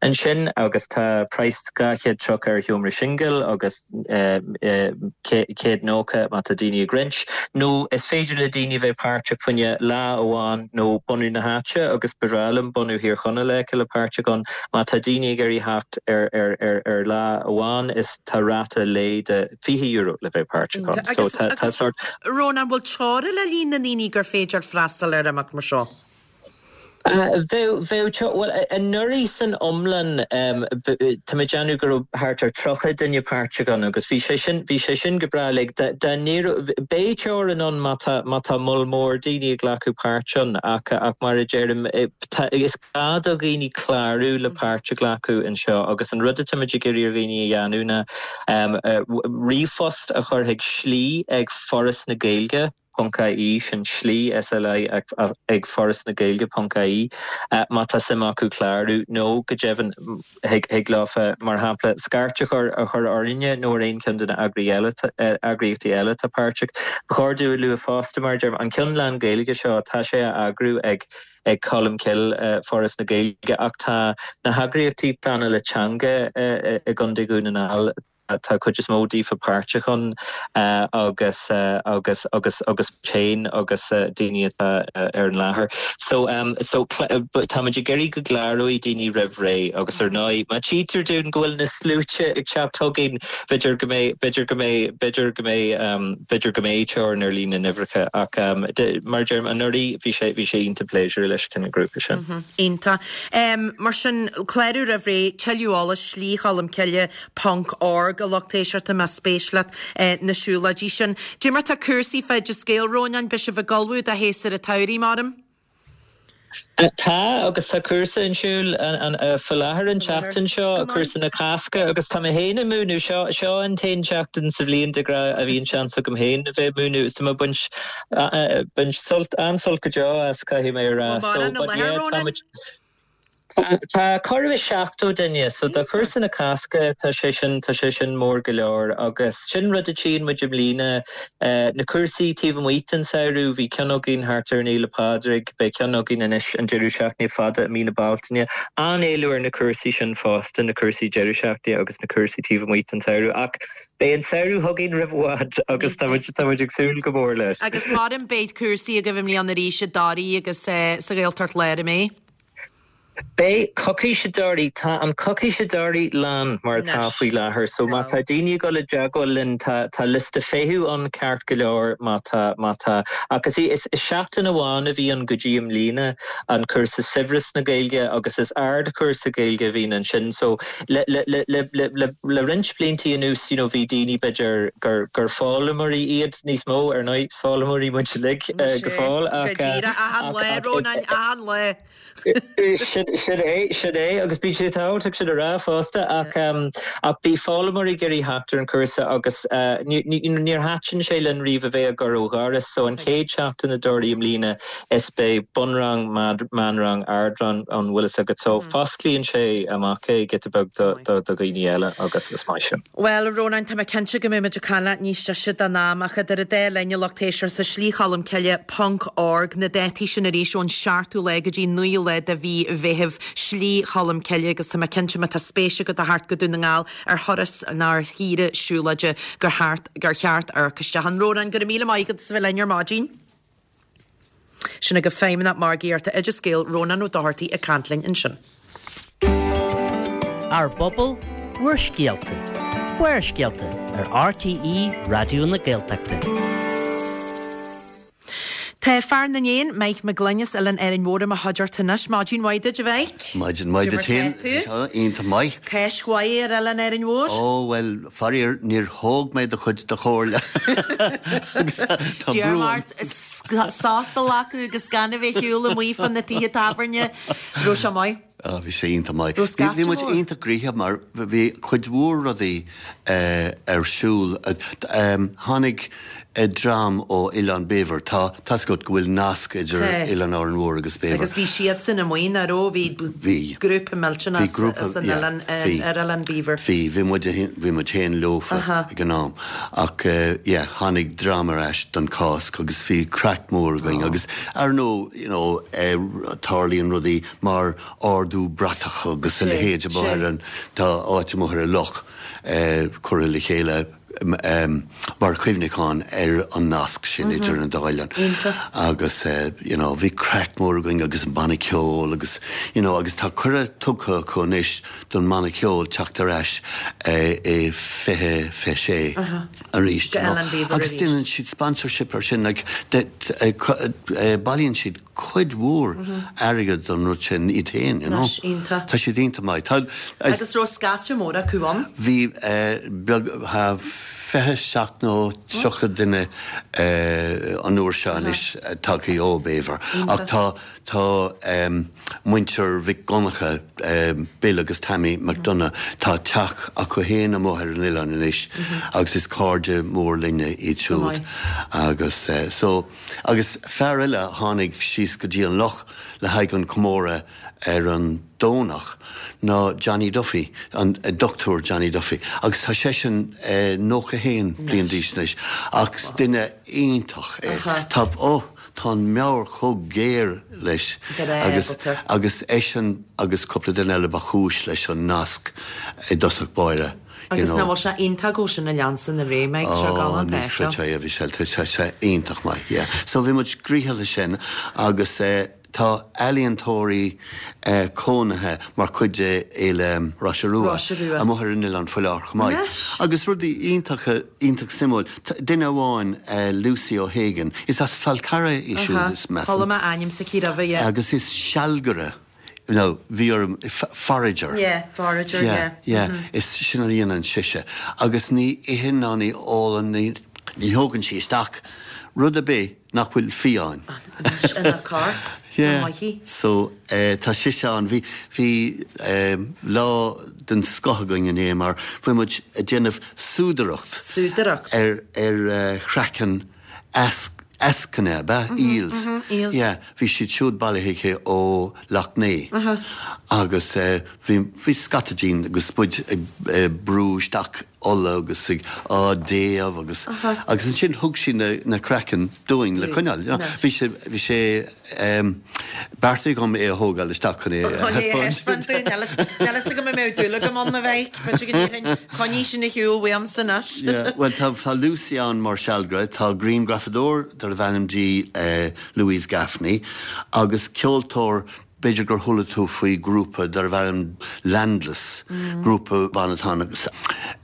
ansin agus tá praghas 230 ar sheomra singil agus 190 má tá daoine ag roinnt. Nó is féidir le daoine a bheith páirteach fá choinne lá amháin nó bunadh na háite agus ba bhreá liom bunadh Thír Chonaill a fheiceáil páirteach ann. Má tá daoine ag iarraidh theacht ar lá amháin is tá ráta lae de €20 le bheith páirteach ann. So tá sórt. Rónán, bhfuil teora le líon na ndaoine gur féidir freastal ar imeacht mar seo? Bheadh, bheadh, bhuel, anuraidh san iomlán, tá mé ag déanamh go raibh thart ar 30 duine páirteach ann agus bhí sé sin, bhí sé sin go breá like, dá n-éireodh, beidh teorainn ann má tá, má tá moll mór daoine ag glacadh páirt ann ach, ach mar a deirim, tá, is gá do dhaoine clárú le páirt a ghlacadh anseo agus an rud atáimid ag iarraidh ar dhaoine a dhéanamh ná ríomhphost a chur chuig slí ag Foras na Gaeilge. ponc ie, sin slí, SLI, ag Foras na Gaeilge ponc ie, má tá suim acu clárú, nó go deimhin thig leofa, mar shampla, scairt a chur a chur orainne nó ar aon cheann de na eagraíochtaí eile atá páirteach. Ba chóir domh a lua fosta, mar a deirim, an ceann lán-Ghaeilge seo, tá sé á eagrú ag ag Colmcille, Foras na Gaeilge, ach tá na heagraíochtaí pleanála teanga i gContae Dhún na nGall, Tá cuid is mó daofa páirteach ann agus agus agus agus féin agus daoine atá ar an láthair. So so táimid ag iarraidh go gcláróidh daoine roimh ré agus ar ndóigh má tchítear dúinn go bhfuil na sluaite ag teacht chugainn b'fhéidir go mbeidh b'fhéidir go mbeidh b'fhéidir go mbeidh b'fhéidir go mbeidh teorainn ar líon na n-uimhreacha ach mar a deirim anuraidh bhí sé bhí sé iontach pléisiúrtha leis an grúpa sin. Iontach. Mar sin, clárú roimh ré, tuilleadh eolais, Slí Cholmcille, ponc org, a lucht éisteachta más spéis leat na siúlóidí sin. Dé mar tá cúrsaí fá Oideas Gael, Rónáin, beidh sibh ag ullmhú do shéasúr an tsamhraidh, maram? Tá, agus tá cúrsa ar siúl faoi láthair an tseachtain seo, cúrsa na Cásca, agus tá mé féin ag múineadh. Seo, seo an t-aon tseachtain sa bhliain de ghnáth a bhíonn seans agam féin a bheith ag múineadh, is tá mé ag baint, baint sult, an-sult go deo as, caithfidh mé a rá. Bhfuil mórán i láthair, Rónáin? Tá corradh is 70 duine, so do chúrsa na Cásca tá sé sin, tá sé sin mór go leor agus sin rud a tchíonn muid i mbliana, na cúrsaí taobh amuigh den samhradh, bhí ceann againn thart ar an Fhéile Pádraig, beidh ceann againn anois an deireadh seachtaine fada i mí na Bealtaine. An-éileamh ar na cúrsaí sin fosta, na cúrsaí deireadh seachtaine agus na cúrsaí taobh amuigh den samhradh ach beidh an samhradh chugainn roimh i bhfad agus tá muid, tá muid ag súil go mór leis. Agus maram beidh cúrsaí agaibh i mbliana arís i dToraigh agus sa Ghaeltacht Láir, an mbeidh? Beidh coicís deiridh, tá an coicís deiridh lán mar atá faoi láthair so má tá daoine ag dul i dteagmháil linn tá tá liosta feithimh ann ceart go leor má tá má tá ach is is seachtain amháin a bhí ann go dtí i mbliana an cúrsa Saibhreas na Gaeilge agus is ardchúrsa Gaeilge a bhíonn ansin so le le le le le le le roinnt bliantaí anuas you know bhí daoine b'fhéidir gur gur foghlaimeoirí iad níos mó ar ndóigh foghlaimeoirí muid uilig go fóill ach Go díreach achan lá Rónáin achan lá. Sin é, sin é, agus bíonn sé tábhachtach sin a rá fosta, ach ach bhí foghlaimeoirí ag iarraidh theacht ar an chúrsa agus níor thaitin sé linn riamh a bheith ag cur ó dhoras, so an chéad seachtain i dToraí i mbliana is beidh bunrang, meánrang, ardrang ann, bhfuil fhios agat, so fosclaíonn sé amach é giota beag do dhaoine eile agus is maith sin. Bhuel, a Rónáin, tá mé cinnte go mbeidh muid ag caint leat níos deise den am, ach idir an dá linn, a lucht éisteachta, Slí Cholmcille ponc org, na dátaí sin arís ón seachtú lá go dtí an naoú lá de mhí Mheithimh, Slí Cholmcille, agus tá mé cinnte má tá spéis agat a theacht go Dún na nGall ar thuras nó ar shaoire siúlóide gur cheart gur cheart amharc isteach ann. Rónán, go raibh míle maith agat as a bheith linn ar maidin. Sin agaibh Feidhmeannach Margaíochta Oideas Gael, Rónán Ó Dochartaigh ag caint linn ansin. Ár bpobal, bhur scéalta. Barrscéalta ar RTÉ Raidió na Gaeltachta. Tá fear na n-éan, Mike Mac Gloinn as Oileán Árainn Mhór i mo chuideachta anois. Maidin mhaith duit, a Mhike. Maidin mhaith duit féin. Iontach maith. Cáisc mhaith ar Oileán Árainn Mhór? Ó, bhuel, faraor, níor thóg mé do chuid de chomhairle. Agus tá brú orm. Sos a ghlacadh agus gan a bheith ag siúl amuigh fá na tithe tábhairne. Raibh sé maith? Á, bhí sé iontach maith. Raibh scaifte Bhí muid mór? iontach gnoitheach mar bhí cuid mhór rudaí ar siúl. Tháinig dream ó Oileán Béibhir. Tá tá's agat go bhfuil nasc idir Oileán Árainn Mhór agus Béibhir. Agus bhí siadsan amuigh, nach raibh? Bhí grúpa millteanach san oileán, ar Oileán Beaver. Bhí, bhí muid, bhí muid féin leofa ag an am. Ach yeah, tháinig dream ar ais don Chásc agus bhí craic mór againn agus ar ndóigh, you know, tarlaíonn rudaí mar ardú bratach agus a leithéid amuigh ar an, tá áit amuigh ar an loch curtha le chéile mar chuimhneachán ar an nasc sin idir an dá oileán. Agus you know bhí craic mór againn agus an banna ceoil agus you know agus tá cuireadh tugtha acu anois don mbanna ceoil teacht ar ais i 2026 arís you know agus déanann siad sponsorship ar sin like bailíonn siad cuid mhór airgead don rud sin iad féin, you know. Iontach. Tá siad iontach maith. Tá. Agus raibh scaifte mór acu ann? Bhí, beag, 27 nó 30 duine an uair seo anois tagtha ó Béibhir. Ach tá, tá muintir Mhic Dhonncha, Bill agus Tammy McDonagh, tá teach acu féin amuigh ar an oileán anois agus is cairde mór linne iad siúd. Agus so. Agus fear eile a tháinig síos go dtí an loch le haghaidh an comóradh ar an Domhnach ná Johnny Duffy, an Dochtúir Johnny Duffy. Agus tá seisean 91 bliain d'aois anois ach duine iontach é. Tá, oh, tá an meabhair chomh géar leis agus, agus eisean agus cúpla duine eile ba chúis leis an nasc i dtosach báire. Agus nach bhfuil sé iontach go bhfuil sin ag leanstan ar aghaidh, Mike, seo galánta é seo. Ó, ní chreidfeá é, tá sé iontach maith, yeah. So bhí muid gnoitheach leis sin agus tá ealaíontóirí cónaithe mar chuid de Fhéile Roise Rua amuigh ar an oileán faoi láthair chomh maith. Agus rudaí iontacha, iontach suimiúil, duine amháin, Lucy O'Hagan, is as Fal Carraigh í siúd, is measaim. Chuala mé ainm s'aici roimhe, yeah. Agus is sealgaire. No, bhí orm, forager. Yeah, forager, yeah. Yeah, yeah, is sin a dhéanann sise. Agus ní itheann ná ní ólann, ní, ní thógann sí isteach rud ar bith nach bhfuil fiáin. Anois, ina corp, Yeah, maith í. so, eh, tá sise ann. Bhí, bhí, eh, lá den scoth againn inné mar bhí muid ag déanamh súdaireacht. Súdaireacht. Ar, ar, eh, chraiceann easc, eascanna, ab ea? Eels. Eels. Yeah, bhí siad siúd bailithe aici ó Loch Né agus bhí, bhí scata dínn agus muid ag brú isteach ola agus ag á dtéamh agus, agus ansin thug sí na, na craicinn dúinn le coinneáil, you know. Bhí sé, bhí sé beartaithe agam é a thógáil isteach chun é a thaispeáint dúinn. Níl a fhios agam an mbeadh dúil agam ann a Mhike, b'fhéidir go ndéarfainn, coinnigh sin ar shiúl uaimse anois. Yeah, bhuel tá tá Lucy ann mar sealgaire, tá grianghrafadóir darbh ainm di Louise Gaffney agus ceoltóir. B'fhéidir gur chuala tú faoi grúpa darbh ainm Landless, grúpa ban atá ann agus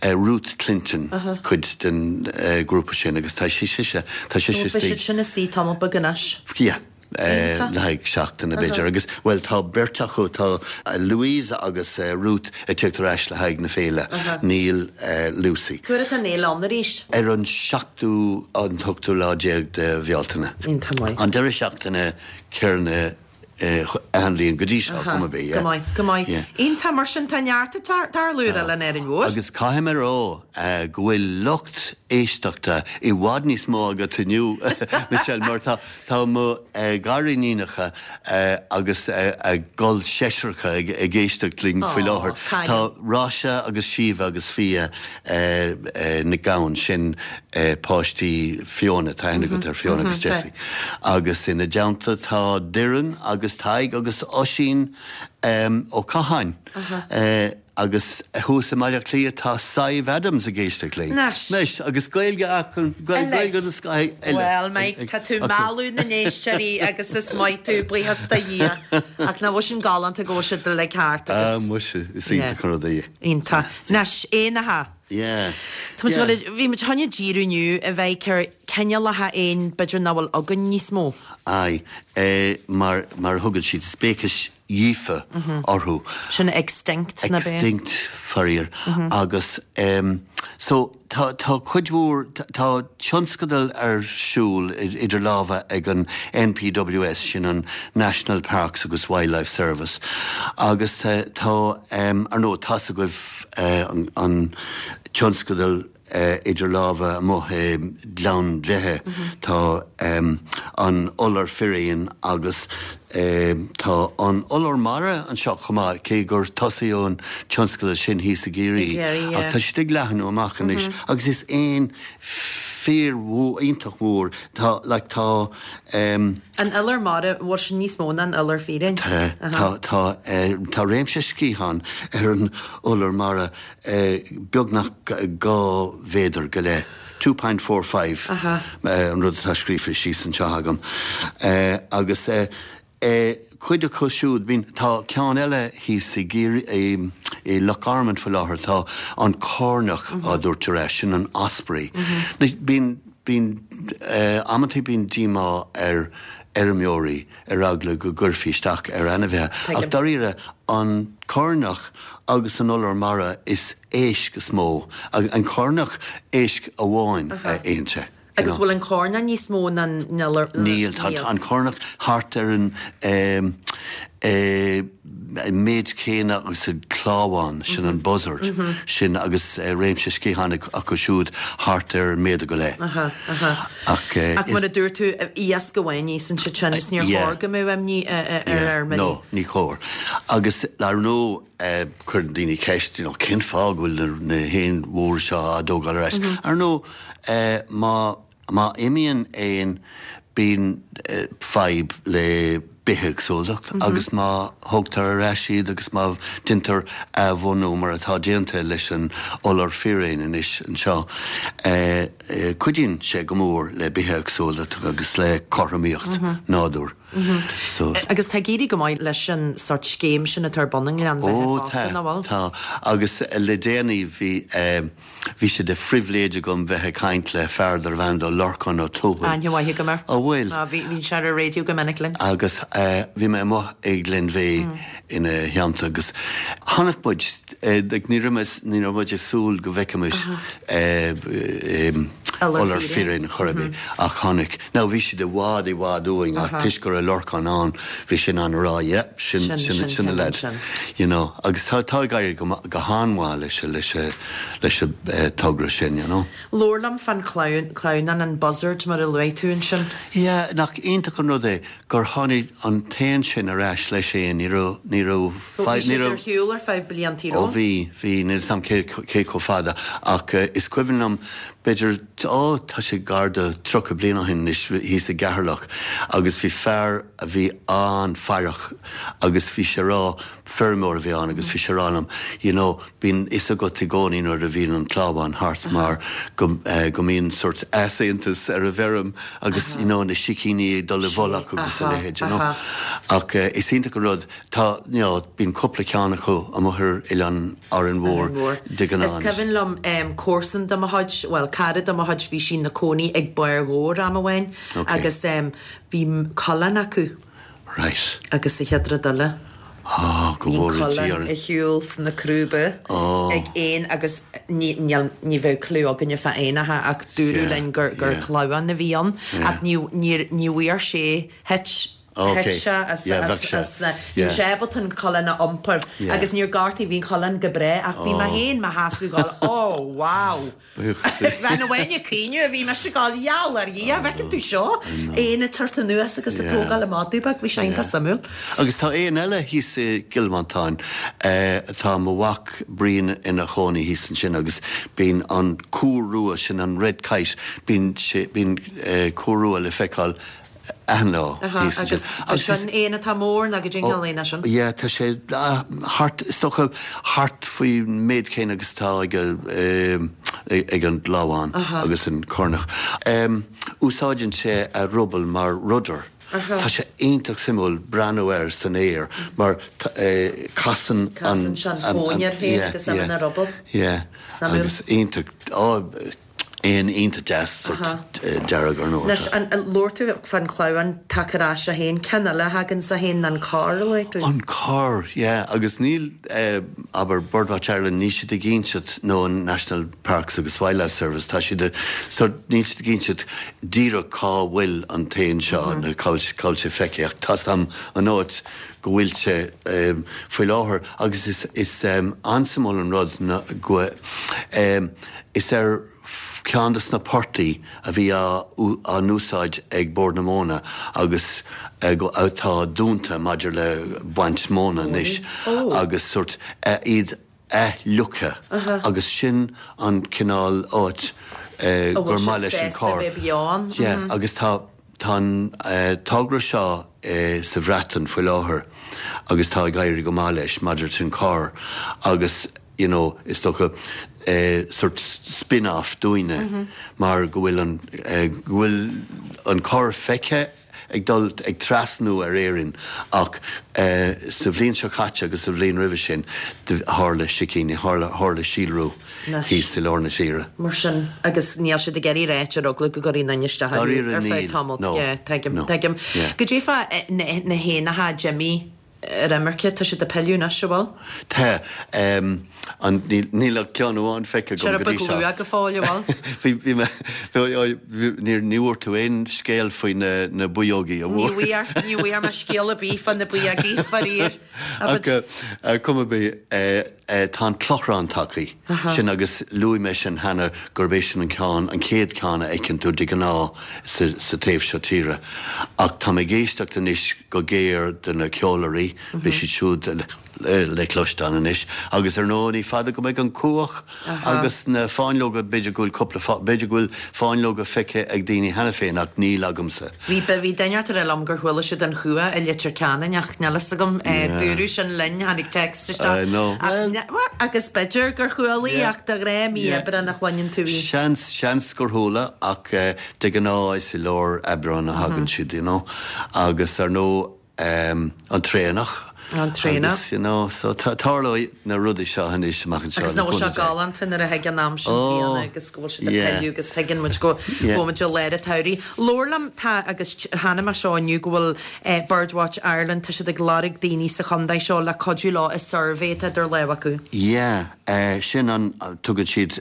Ruth Clinton cuid den ghrúpa sin agus tá sí sise, tá sise istigh. Beidh siad sin istigh tamall beag anois. Yeah. Le haghaidh seachtaine b'fhéidir agus, bhuel tá beirt acu, tá Louise agus Ruth ag tíocht ar ais le haghaidh na féile, níl Lucy. Cá huair atá an fhéile ann arís? Ar an seachtú, an t-ochtú lá déag de Bhealtaine. Iontach maith. An deireadh seachtaine céanna achan bhliain go dtí seo, cuma ar bith, yeah. Go maith, go maith. Yeah. Iontach, mar sin tá neart ag tarlú ar Oileán Árainn Mhór. Agus caithfidh mé a rá go bhfuil lucht éisteachta i bhfad níos mó agat inniu, Michelle, mar tá, tá mo ghariníonacha agus a gcol seisreacha ag éisteacht linn faoi láthair. Tá Róise agus Síomha agus Fia Nic Gabhann, sin páistí Fiona, tá aithne agat ar Fiona agus Jessie. Agus ina dteannta tá Doireann agus Tadhg agus Oisín Ó Catháin. Agus thuas i mBaile Átha Cliath tá Sadhbh Adams ag éisteacht linn. Anois! Agus Gaeilge acu, Gaeilge den scoth eile. Bhuel, Mike, tá tú mealladh na n-éisteoirí agus is maith tú, buíochas do Dhia. Ach nach bhfuil sin galánta go bhfuil siad uilig thart agus. Ah, muise, is iontach an rud é. Iontach. Anois, éanacha. Yeah. Tá muid ag dul, bhí muid chun díriú inniu a Mhike ar cineálacha éin b'fhéidir nach bhfuil againn níos mó. Aye, mar, mar a thugann siad speicis dhíofa orthu. Sin extinct, ná b'é? Extinct, faraor. Agus em so tá, tá cuid mhór, tá tionscadal ar siúl idir lámha ag an NPWS, sin an National Parks agus Wildlife Service, agus tá, tá em ar ndóigh tá's agaibh an tionscadal idir lámha amuigh i nGleann Bheithe. Tá an iolar firéin agus tá an iolar mara anseo chomh maith, cé gur tosaíodh an tionscadal sin thíos i gCiarraí. Ach tá siad ag leathnú amach anois agus is éan fíor mhór, iontach mhór, tá like tá. An iolar mara, bhfuil sin níos mó ná an iolar firéin? Tá, tá, tá, tá réimse sciathán ar an iolar mara beagnach 2 mhéadar go leith, 2.45 an rud atá scríofa síos anseo agam. Agus cuid acu siúd, bíonn, tá ceann eile thíos i gCiarraí, i Loch Garman faoi láthair, tá an coirneach á dtabhairt ar ais, sin an osprey. Bíonn, bíonn, amantaí bíonn díomá ar fheirmeoirí ar eagla go gcuirfí isteach ar ainmhithe. Ach dáiríre, an coirneach agus an iolar mara is éisc is mó, an coirneach éisc amháin a itheann sé. Agus bhfuil an coirneach níos mó ná an iolar? Níl, tá an coirneach thart ar an méid céanna agus an clábhán, sin an buzzard, sin agus réimse sciathán acu siúd thart ar méadar go leith. Ach Ach mar a dúirt tú, iasc amháin a íosann siad sin is níor chóir go mbeadh imní ar fheirmeoirí. No, ní chóir. Agus ar ndóigh cuireann daoine ceist, you know, cén fáth go bhfuil na héin mhóra seo á dtógáil ar ais? Ar ndóigh má Má imíonn éan bíonn fadhb le bithéagsúlacht agus má thógtar ar ais iad agus má deintear athbhunú mar atá déanta leis an iolar firéin anois anseo, cuidíonn sé go mór le bithéagsúlacht agus le cothromaíocht nádúir. So. Agus tá ag éirí go maith leis an sórt scéim sin atá ar bun i nGleann Bheithe fosta, nach bhfuil? Ó tá, tá. Agus le déanaí bhí. Bhí sé de phribhléid agam bheith ag caint le fear darbh ainm dó Lorcán Ó Tuathail. Aithne mhaith agam air. An bhfuil? Á, bhí, bhíonn sé ar an raidió go minic linn. Agus bhí mé amuigh i nGleann Bheatha ina theannta agus chonaic muid, like ní raibh mé, ní raibh muid ag súil go bhfeicfimis iolar firéin chor ar bith ach chonaic. Now bhí siad i bhfad, i bhfad uainn ach toisc go raibh Lorcán ann bhí sé in ann a rá yeah, sin, sin, sin na lads, you know. Agus tá, tá ag éirí go, go han-mhaith leis, leis, leis an togra sin, you know. Labhair liom fán chlamhnán, an buzzard mar a luaigh tú ansin. Yeah, nach iontach an rud é gur tháinig an t-éan sin ar ais leis féin, ní raibh, ní raibh, Bhí ní raibh. ar shiúl ar feadh blianta, Ó bhí, bhí, níl 'fhios a'm cé, cé chomh fada ach is cuimhin liom b'fhéidir. Ó, tá sé gar do 30 bliain ó shin anois, thíos i gCeatharlach agus bhí fear a bhí an-fhaireach agus bhí sé a rá, feirmeoir a bhí ann agus bhí sé a rá liom, you know, bíonn fhios agat i gcónaí nuair a bhíonn an clábhán thart mar go, go mbíonn sórt easaontas ar an bhfeirm agus, you know, na sicíní ag dul i bhfolach agus a leithéid, you know. Ach is iontach an rud, Tá, you know, bíonn cúpla ceann acu amuigh ar Oileán Árainn Mhór de ghnáth Is cuimhin liom comharsan de mo chuid, bhuel, cara de mo chuid, bhí sí ina cónaí ag Barr Dhobhair am amháin agus bhí coileán acu. Right. Agus sa chéad rud eile, Oh, go bhí an bhfóire Dia coileán orainn. ar shiúl sna crúba Oh. ag éan agus ní, níl, ní bheadh clue againne fá éanacha ach dúradh Yeah, linn gur, gur yeah. clamhán a bhí ann Yeah. ach ní, níor, ní bhfuair sé, thit Ok. Thit sé as Yeah, bheadh sé. as na, Yeah. bhí sé ábalta an coileán a iompar Yeah. agus níor gortaigh, bhí an coileán go breá ach bhí mé Oh. féin mo sheasamh ag gabháil oh wow. Buíochas le. Bhean amháin ag caoineadh, bhí mise ag gabháil gheall ar Dhia, bhfeiceann tú seo, éan ag tabhairt anuas agus ag Yeah. tógáil an madadh beag, bhí sé iontach Yeah. suimiúil. Agus tá éan eile thíos i gCill Mhantáin, tá mo mhac Brian ina chónaí thíos ansin agus bíonn an cúr rua, sin an red kite, bíonn sé, bíonn cúr rua le feiceáil achan lá thíos ansin. Agus sin éan atá mór nó goidé an cineál éin é sin? Yeah, tá sé thart, is dócha, thart faoin méid céanna agus atá ag ag an gclamhán agus an cornach. Úsáideann sé a ruball mar rudder. Tá sé iontach suimiúil breathnú air san aer mar casann an. Casann sé an tóin air féin agus é ina ruball. Yeah, agus iontach. Éan iontach deas, sórt dearg ar ndóigh. Anois, labhair tú fán chlamhán tagtha ar ais a haon, ceann eile a thagann sa haon ná an corr, a luaigh tú. An corr, yeah, agus níl, abair, Birdwatch Ireland, níl siad ag inseacht, nó an National Parks agus Wildlife Service, tá siad a, sórt, níl siad ag inseacht díreach cá bhfuil an t-éan seo, nó cá bhfuil, cá bhfuil sé feicthe, ach tá's a'm an áit go bhfuil sé faoi láthair agus is, is an-suimiúil an rud ná go, Is ar cheann de na portaigh a bhí á n-úsáid ag Bord na Móna agus atá dúnta maidir le baint móna anois agus sórt iad athfhliuchtha agus sin an cineál áit gur maith leis an corr. Yeah agus tá tá an togra seo sa Bhreatain faoi láthair agus tá ag éirí go maith leis maidir leis an corr agus you know, is dócha, sort spin-off dúinne mar go bhfuil an, go bhfuil an corr feicthe ag dul, ag trasnú ar Éirinn ach sa bhliain seo caite agus sa bhliain roimhe sin tharla sicíní, tharla, tharla síolrú thíos i lár na tíre. Mar sin, agus níl siad ag iarraidh ráit ar eagla go gcuirfí aon duine isteach orthu Dáiríre ar feadh níl, tamaill. no, Yeah, tuigim, no, tuigim. yeah. Goidé fá na, na héanacha a d'imigh ar imirce, tá siad ag pilleadh anois, an bhfuil? Tá. An, níl, níl ach ceann amháin feicthe agam Sé go dtí beag seo. luath go fóill, an bhfuil? Bhí, bhí mé, bhí, níor, ní bhfuair tú aon scéal faoi na, na buíógaí, an Ní bhfuair? bhfuair, ní bhfuair mé scéal ar bith fá na buíógaí, faraor. Ach, cuma ar bith, Tá an clochrán tagtha, sin agus luaigh mé sin cheana gurb é sin an ceann, an chéad cheann a fheiceann tú de ghnáth sa taobh seo tíre. Ach tá mé ag éisteacht anois go géar do na ceolairí, beidh siad siúd le cloisteáil anois. Agus ar ndóigh ní fada go mbeidh an cuach agus na fáinleoga, b'fhéidir go bhfuil cúpla, b'fhéidir go bhfuil fáinleoga feicthe ag daoine cheana féin ach níl agamsa. Bhí, bhí duine ag rá liom gur chuala siad an chuach i Leitir Ceanainn ach níl fhios agam, dúradh sin linn, tháinig text isteach. I know. Ach, bhuel, agus b'fhéidir gur chuala ach de ghnáth mí Aibreáin a chluineann tú í. Seans, seans gur chuala ach de ghnáth is i lár Aibreáin a thagann siad, you know. Agus ar ndóigh, an traonach. An traonach. Agus, you know, so tarlóidh na rudaí seo anois amach anseo. Agus nach bhfuil sé galánta nuair a thig an am sin bliana agus go bhfuil siad ag pilleadh agus tuigeann muid go bhfuil muid i lár an tsamhraidh. Labhair liom, tá, agus chonaic mé seo inniu go bhfuil Birdwatch Ireland, tá siad ag lorg daoine sa chontae seo le cuidiú leo i suirbhé atá idir lámha acu. Yeah, sin an, tugann siad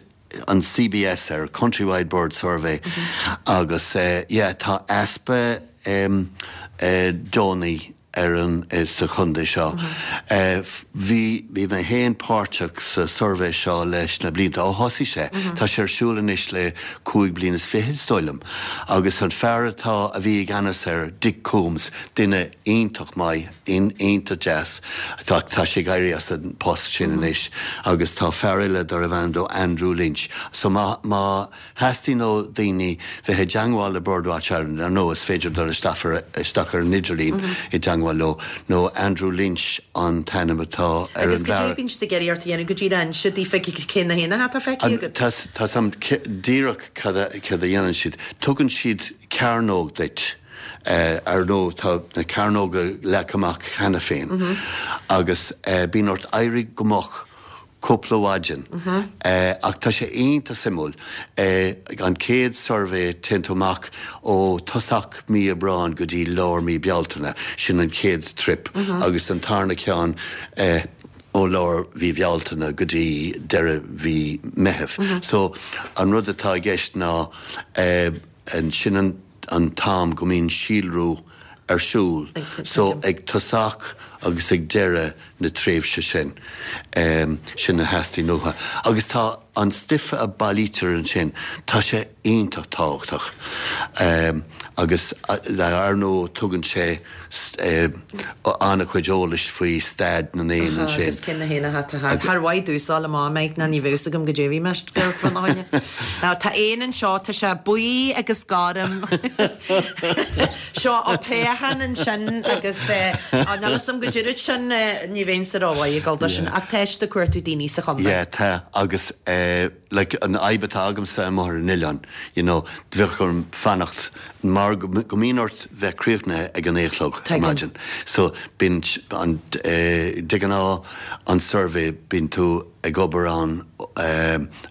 an CBS air, Countrywide Bird Survey, agus yeah, tá easpa deonaí. ar an, sa chontae seo. Bhí, bhí mé féin páirteach sa suirbhé seo leis na blianta ó thosaigh sé. Tá sé ar siúl anois le 25 bliain is dóigh liom. Agus an fear atá, a bhí i gceannas air, Dick Coombs, duine iontach maith, iontach deas, tá, tá sé ag éirí as an post sin anois agus tá fear eile darbh ainm dó Andrew Lynch. So má, má. theastaíonn ó daoine bheith i dteangmháil le Birdwatch Ireland, ar ndóigh is féidir dul isteach ar isteach ar an idirlíon i dteangmháil leo, nó Andrew Lynch an t-ainm atá ar Agus an goidé bhfear. bíonn siad ag iarraidh ort a dhéanamh go díreach inse daofa cé na héanacha atá feicthe An, agat? tá tá 's a'm díreach cad a cad a dhéanann siad. Tugann siad cearnóg duit. Ar ndóigh tá na cearnóga leagtha amach cheana féin agus bíonn ort éirí go moch cúpla mhaidin. Ach tá sé iontach suimiúil. An chéad suirbhé téann tú amach ó tosach mí Aibreáin go dtí lár mí Bealtaine, sin an chéad trip, agus an tarna ceann ó lár mhí Bhealtaine go dtí deireadh mhí Meithimh. So an rud atá i gceist ná sin an an t-am go mbíonn síolrú ar siúl so ag tosach agus ag deireadh na tréimhse sin, sin a theastaíonn uathu. Agus tá an stuif a bailítear ansin, tá sé iontach tábhachtach agus ar ndóigh tugann sé an-chuid eolais faoi staid na n-éan ansin. Agus cé na héanacha atá thart. Char mhaith domhsa a ghabháil amach mbeidh ná ní bheadh fhios agam goidé a bhí mé fána choinne. Now tá éan anseo, tá sé buí agus gorm. Seo á préachán ansin agus níl fhios agam goidé rud sin, ní bheinnse rómhaith ag dul dó sin ach tá siad ag cuartú daoine sa chontae. Yeah tá agus like an fhadhb atá agamsa amuigh ar an oileán, you know, bheadh orm fanacht mar go mbíonn ort bheith críochnaithe ag a naoi a chlog ar maidin. So bíonn an, de ghnáth an suirbhé bíonn tú ag obair ann,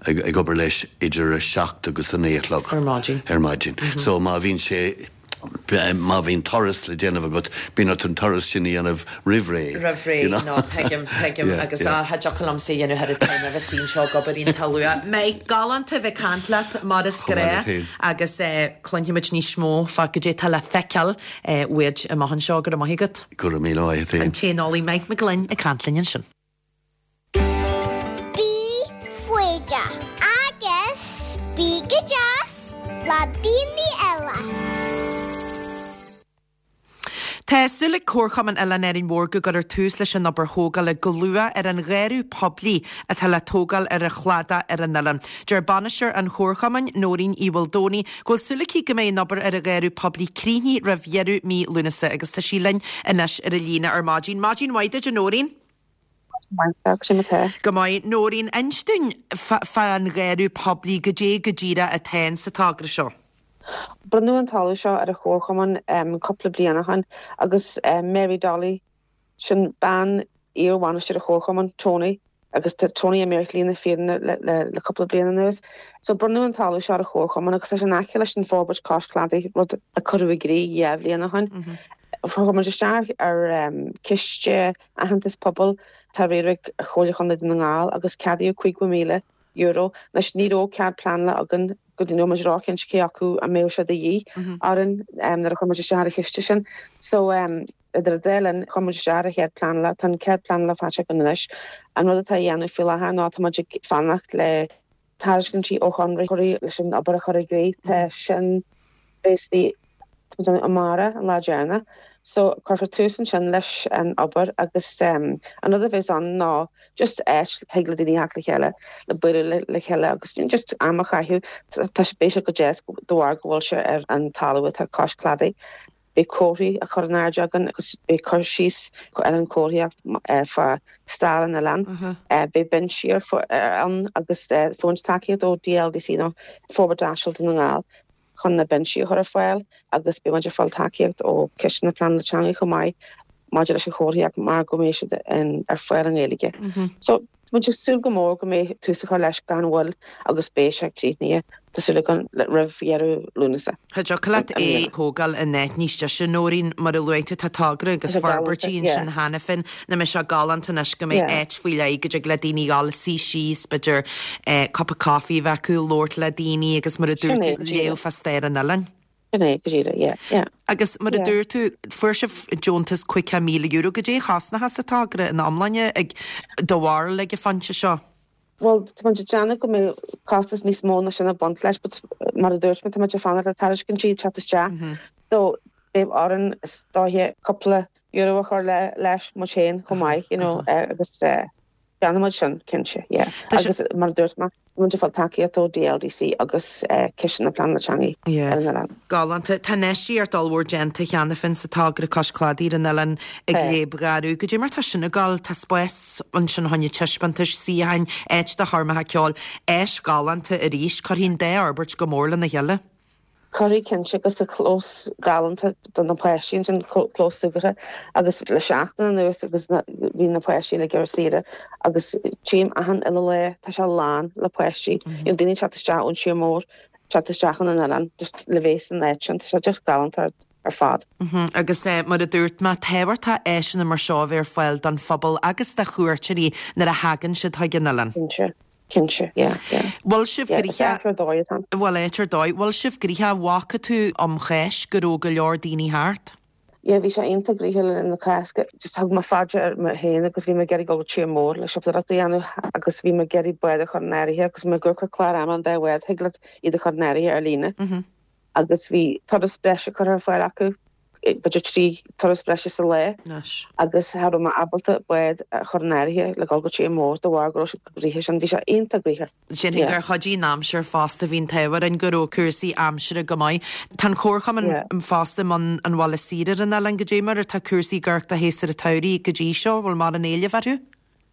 ag obair leis idir a seacht agus a naoi a chlog ar maidin. Ar maidin. So má bhíonn sé. Má bhíonn turas le déanamh agat, bíonn ort an turas sin a dhéanamh roimh ré. Roimh ré, no, tuigim, tuigim, agus ah, cha dtiocfadh liomsa a dhéanamh thar an time a bheith suí anseo ag obair iontach luath. Mike, galánta a bheith ag caint leat, mar is gnách, agus cluinfimid níos mó fá goidé atá le feiceáil uait amach anseo. Go raibh maith agat. Go raibh míle maith agat féin. An t-éaneolaí Mike Mac Gloinn ag caint linn ansin. Bí foighdeach agus bí go deas le daoine eile. Tá súil ag Comharchumann Oileán Árainn Mhór go gcuirfear tús leis an obair thógála go luath ar an gharradh poiblí atá le tógáil ar an chladach ar an oileán. Deir bainisteoir an Chomharchumainn, Nóirín Uí Mhaoldomhnaigh, go bhfuil súil aici go mbeidh an obair ar an gharradh poiblí críochnaithe roimh dheireadh mí Lúnasa agus tá sí linn anois ar an líne ar maidin. Maidin mhaith duit, a Nóirín. Go maith. Nóirín, inis dúinn fán gharradh poiblí, goidé go díreach atá in sa togra seo. Bronnadh an talamh seo ar an Chomharchumann cúpla bliain ó shin agus Mary Dolly, sin bean iar-bhainisteoir an Chomharchumainn, Tony, agus tá Tony imithe ar shlí na fírinne le cúpla bliain anuas. So bronnadh an talamh seo ar an Chomharchumann agus tá sé in aice leis an forbairt cois cladaigh, rud a cuireadh i gcrích 2 bhliain ó shin. Chuir muid isteach ar ciste Aitheantas Pobail atá á riaradh ag Comhairle Chontae Dhún na nGall agus ceadaíodh €50,000. Anois ní raibh cead pleanála againn go dtí ní raibh muid róchinnte cé acu an mbeadh sé de dhíth orainn nuair a chuir muid isteach ar an chiste sin. So idir an dá linn chuir muid isteach ar an chead pleanála. Tá an cead pleanála faighte againn anois. An rud atá á dhéanamh faoi láthair ná tá muid ag fanacht le tairiscintí ó chonraitheoirí leis an obair a chur i gcrích. Tá sin basically tá muid amárach an lá deireanach so cuirfear tús ansin leis an obair agus an rud a bheas ann ná just áit thig le daoine theacht le chéile le bualadh le chéile agus just am a chaitheamh. Tá sé beidh sé go deas de bharr go bhfuil sé ar an talamh atá cois cladaigh. Beidh comharthaí á chur in airde againn agus beidh cur síos ar an chomharthaíocht fá stair an oileáin. Beidh binsí ann agus fuair muid tacaíocht ó DLDC nó Forbairt Áitiúil Dhún na nGall chun na binsí a chur ar fáil agus beidh muid ag fáil tacaíocht ó Chiste na Pleanála Teanga chomh maith maidir leis an chomharthaíocht mar go mbeidh siad ar fáil i nGaeilge. So Tá muid ag súil go mór go mbeidh tús á chur leis gan mhoill agus beidh sé críochnaithe, tá súil againn, roimh dheireadh Lúnasa. Cha dtiocfadh leat é a thógáil in áit níos deise, Nóirín, mar a luaigh tú, tá togra agus forbairtí ansin cheana féin. Nach mbeidh sé galánta anois go mbeidh áit faoi leith go dtig le daoine dhul suí síos, b'fhéidir cupa coffee a bheith acu, labhairt le daoine agus mar a dúirt tú, léamh fá stair an oileáin. Sin é, go díreach, yeah, yeah. Agus mar a dúirt tú, fuair sibh deontas €50,000. Goidé a chosnóchas an togra ina iomláine ag do bharúil ag an phointe seo? Bhuel, tá muid ag déanamh go mbeidh costas níos mó ná sin ag baint leis, but mar a dúirt mé, tá muid ag fanacht le tairiscintí ag teacht isteach. So, beidh orainn is dóiche cúpla euro a chur leis muid féin chomh maith, you know, agus déanfaidh muid sin, cinnte, yeah. Agus mar a dúirt mé, tá muid ag fáil tacaíocht ó DLDC agus Ciste na Pleanála Teanga ar an oileán. Galánta. Tá infheistíocht ollmhór déanta cheana féin sa togra Cois Cladaigh ar an oileán i gCléib Gharú. Goidé mar tá sin ag gabháil? Tá spás ansin fá choinne taispeántais, suíocháin, áit do choirmeacha ceoil, áis ghalánta arís. Cuirfidh an dá fhorbairt go mór lena chéile. Cuirfidh cinnte agus tá clós galánta do na páistí ansin, clós súgartha agus le seachtain anuas agus bhí na páistí uilig ar saoire agus tchím achan uile lá tá sé lán le páistí. You know daoine ag teacht isteach ón tír mór, teacht isteach chun an oileáin just le bheith san áit sin, tá sé just galánta ar fad. Agus mar a dúirt mé, tábhachtach áiseanna mar seo a bheith ar fáil don phobal agus do chuairteoirí nuair a thagann siad chuig an oileán. Cinnte. Cinnte, yeah, yeah. Bhfuil sibh Yeah, is gnoitheach? áit ar dóigh atá ann. Bhfuil áit ar dóigh? Bhfuil sibh gnoitheach? Bhfaca tú um Cháisc go raibh go leor daoine thart? Yeah, bhí sé iontach gnoitheach le linn na Cásca. Just thug mé fá dear mé féin agus bhí mé ag iarraidh dul go tír mór le siopadóireacht a dhéanamh agus bhí mé ag iarraidh bád a chur in áirithe agus mé ag amharc ar clár ama an dá bhád, thig leat iad a chur in áirithe ar líne. Agus bhí turas breise curtha ar fáil acu, b'fhéidir 3 turas breise sa lá, agus cha raibh mé ábalta bád a chur in áirithe le dul go tír mór de bharr go raibh siad chomh gnoitheach sin. Bhí sé iontach gnoitheach. Déarfainn gur chuidigh an aimsir fosta, bhí an t-ádh orainn go raibh cúrsaí aimsire go maith. Tá an Chomharchumann fosta i mbun an bhaile saoire ar an oileán, goidé mar atá cúrsaí ag amharc do shéasúr an tsamhraidh go dtí seo, bhfuil mórán éilimh orthu?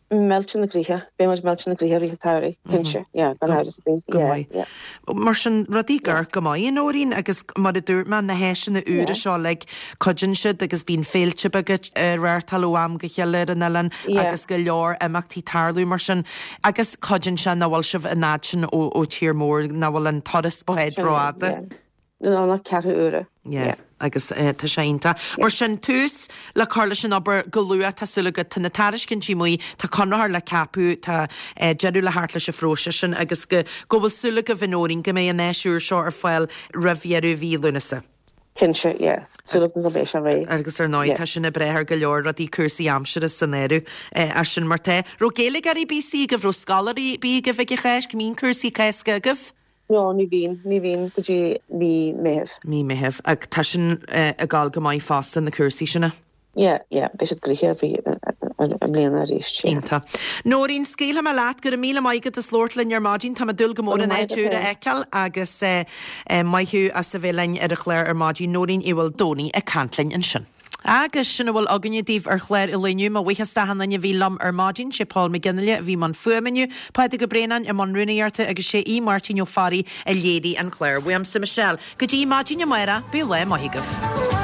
Millteanach gnoitheach. Beidh muid millteanach gnoitheach i rith an tsamhraidh, cinnte. Yeah, gan amhras ar bith. Go Yeah, maith. yeah. Mar sin, rudaí ag amharc go maith, a Nóirín, agus mar a dúirt mé, na háiseanna úra Yeah. seo uilig, cuidíonn siad agus bíonn féilte beaga á reáchtáil ó am go chéile ar an oileán Yeah. agus go leor imeachtaí tarlú mar sin. Agus cuidíonn sé nach bhfuil sibh an fhad sin ó ó tír mór, nach bhfuil an turas báid Sin é, rófhada. yeah. No, nach ceathrú uaire. Yeah, agus tá sé iontach. Mar sin, tús le cur leis an obair go luath, tá súil agat. Tá na tairiscintí amuigh, tá conraitheoir le ceapadh, tá deireadh le theacht leis an phróiseas sin agus go go bhfuil súil agaibh, a Nóirín, go mbeidh an áis úr seo ar fáil roimh dheireadh mhí Lúnasa. Cinnte, yeah. Súil agam go mbeidh sé réidh. Agus ar ndóigh, tá sin ag brath ar go leor rudaí, cúrsaí aimsire san áireamh as sin mar tá. Raibh Gaeilgeoirí ar bith istigh agaibh, raibh scoláirí ar bith agaibh ag an Cháisc, mbíonn cúrsaí Cásca agaibh? No, ní bhíonn, ní bhíonn go dtí mí Meithimh. Mí Meithimh. Ach tá sin ag gabháil go maith fosta, na cúrsaí sin. Yeah, yeah, beidh siad gnoitheach i mbliana arís, yeah. Iontach. Nóirín, scaoilfidh mé leat. Go raibh míle maith agat as labhairt linn ar maidin. Tá mé ag dúil go mór an áit úr a fheiceáil agus maith thú as a bheith linn ar an chlár ar maidin. Nóirín Uí Mhaoldomhnaigh ag caint linn ansin. Agus sin a bhfuil againne daoibh ar chlár an lae inniu. Mo bhuíochas d'achan duine a bhí liom ar maidin. Sé Paul McGinley a bhí i mbun fuaime inniu, Pádraig Ó Braonáin i mbun rúnaíochta agus sé Aodh Máirtín Ó Fearraigh a léirigh an clár. Uaimse Michelle. Go dtí maidin amárach, bíodh lá maith agaibh.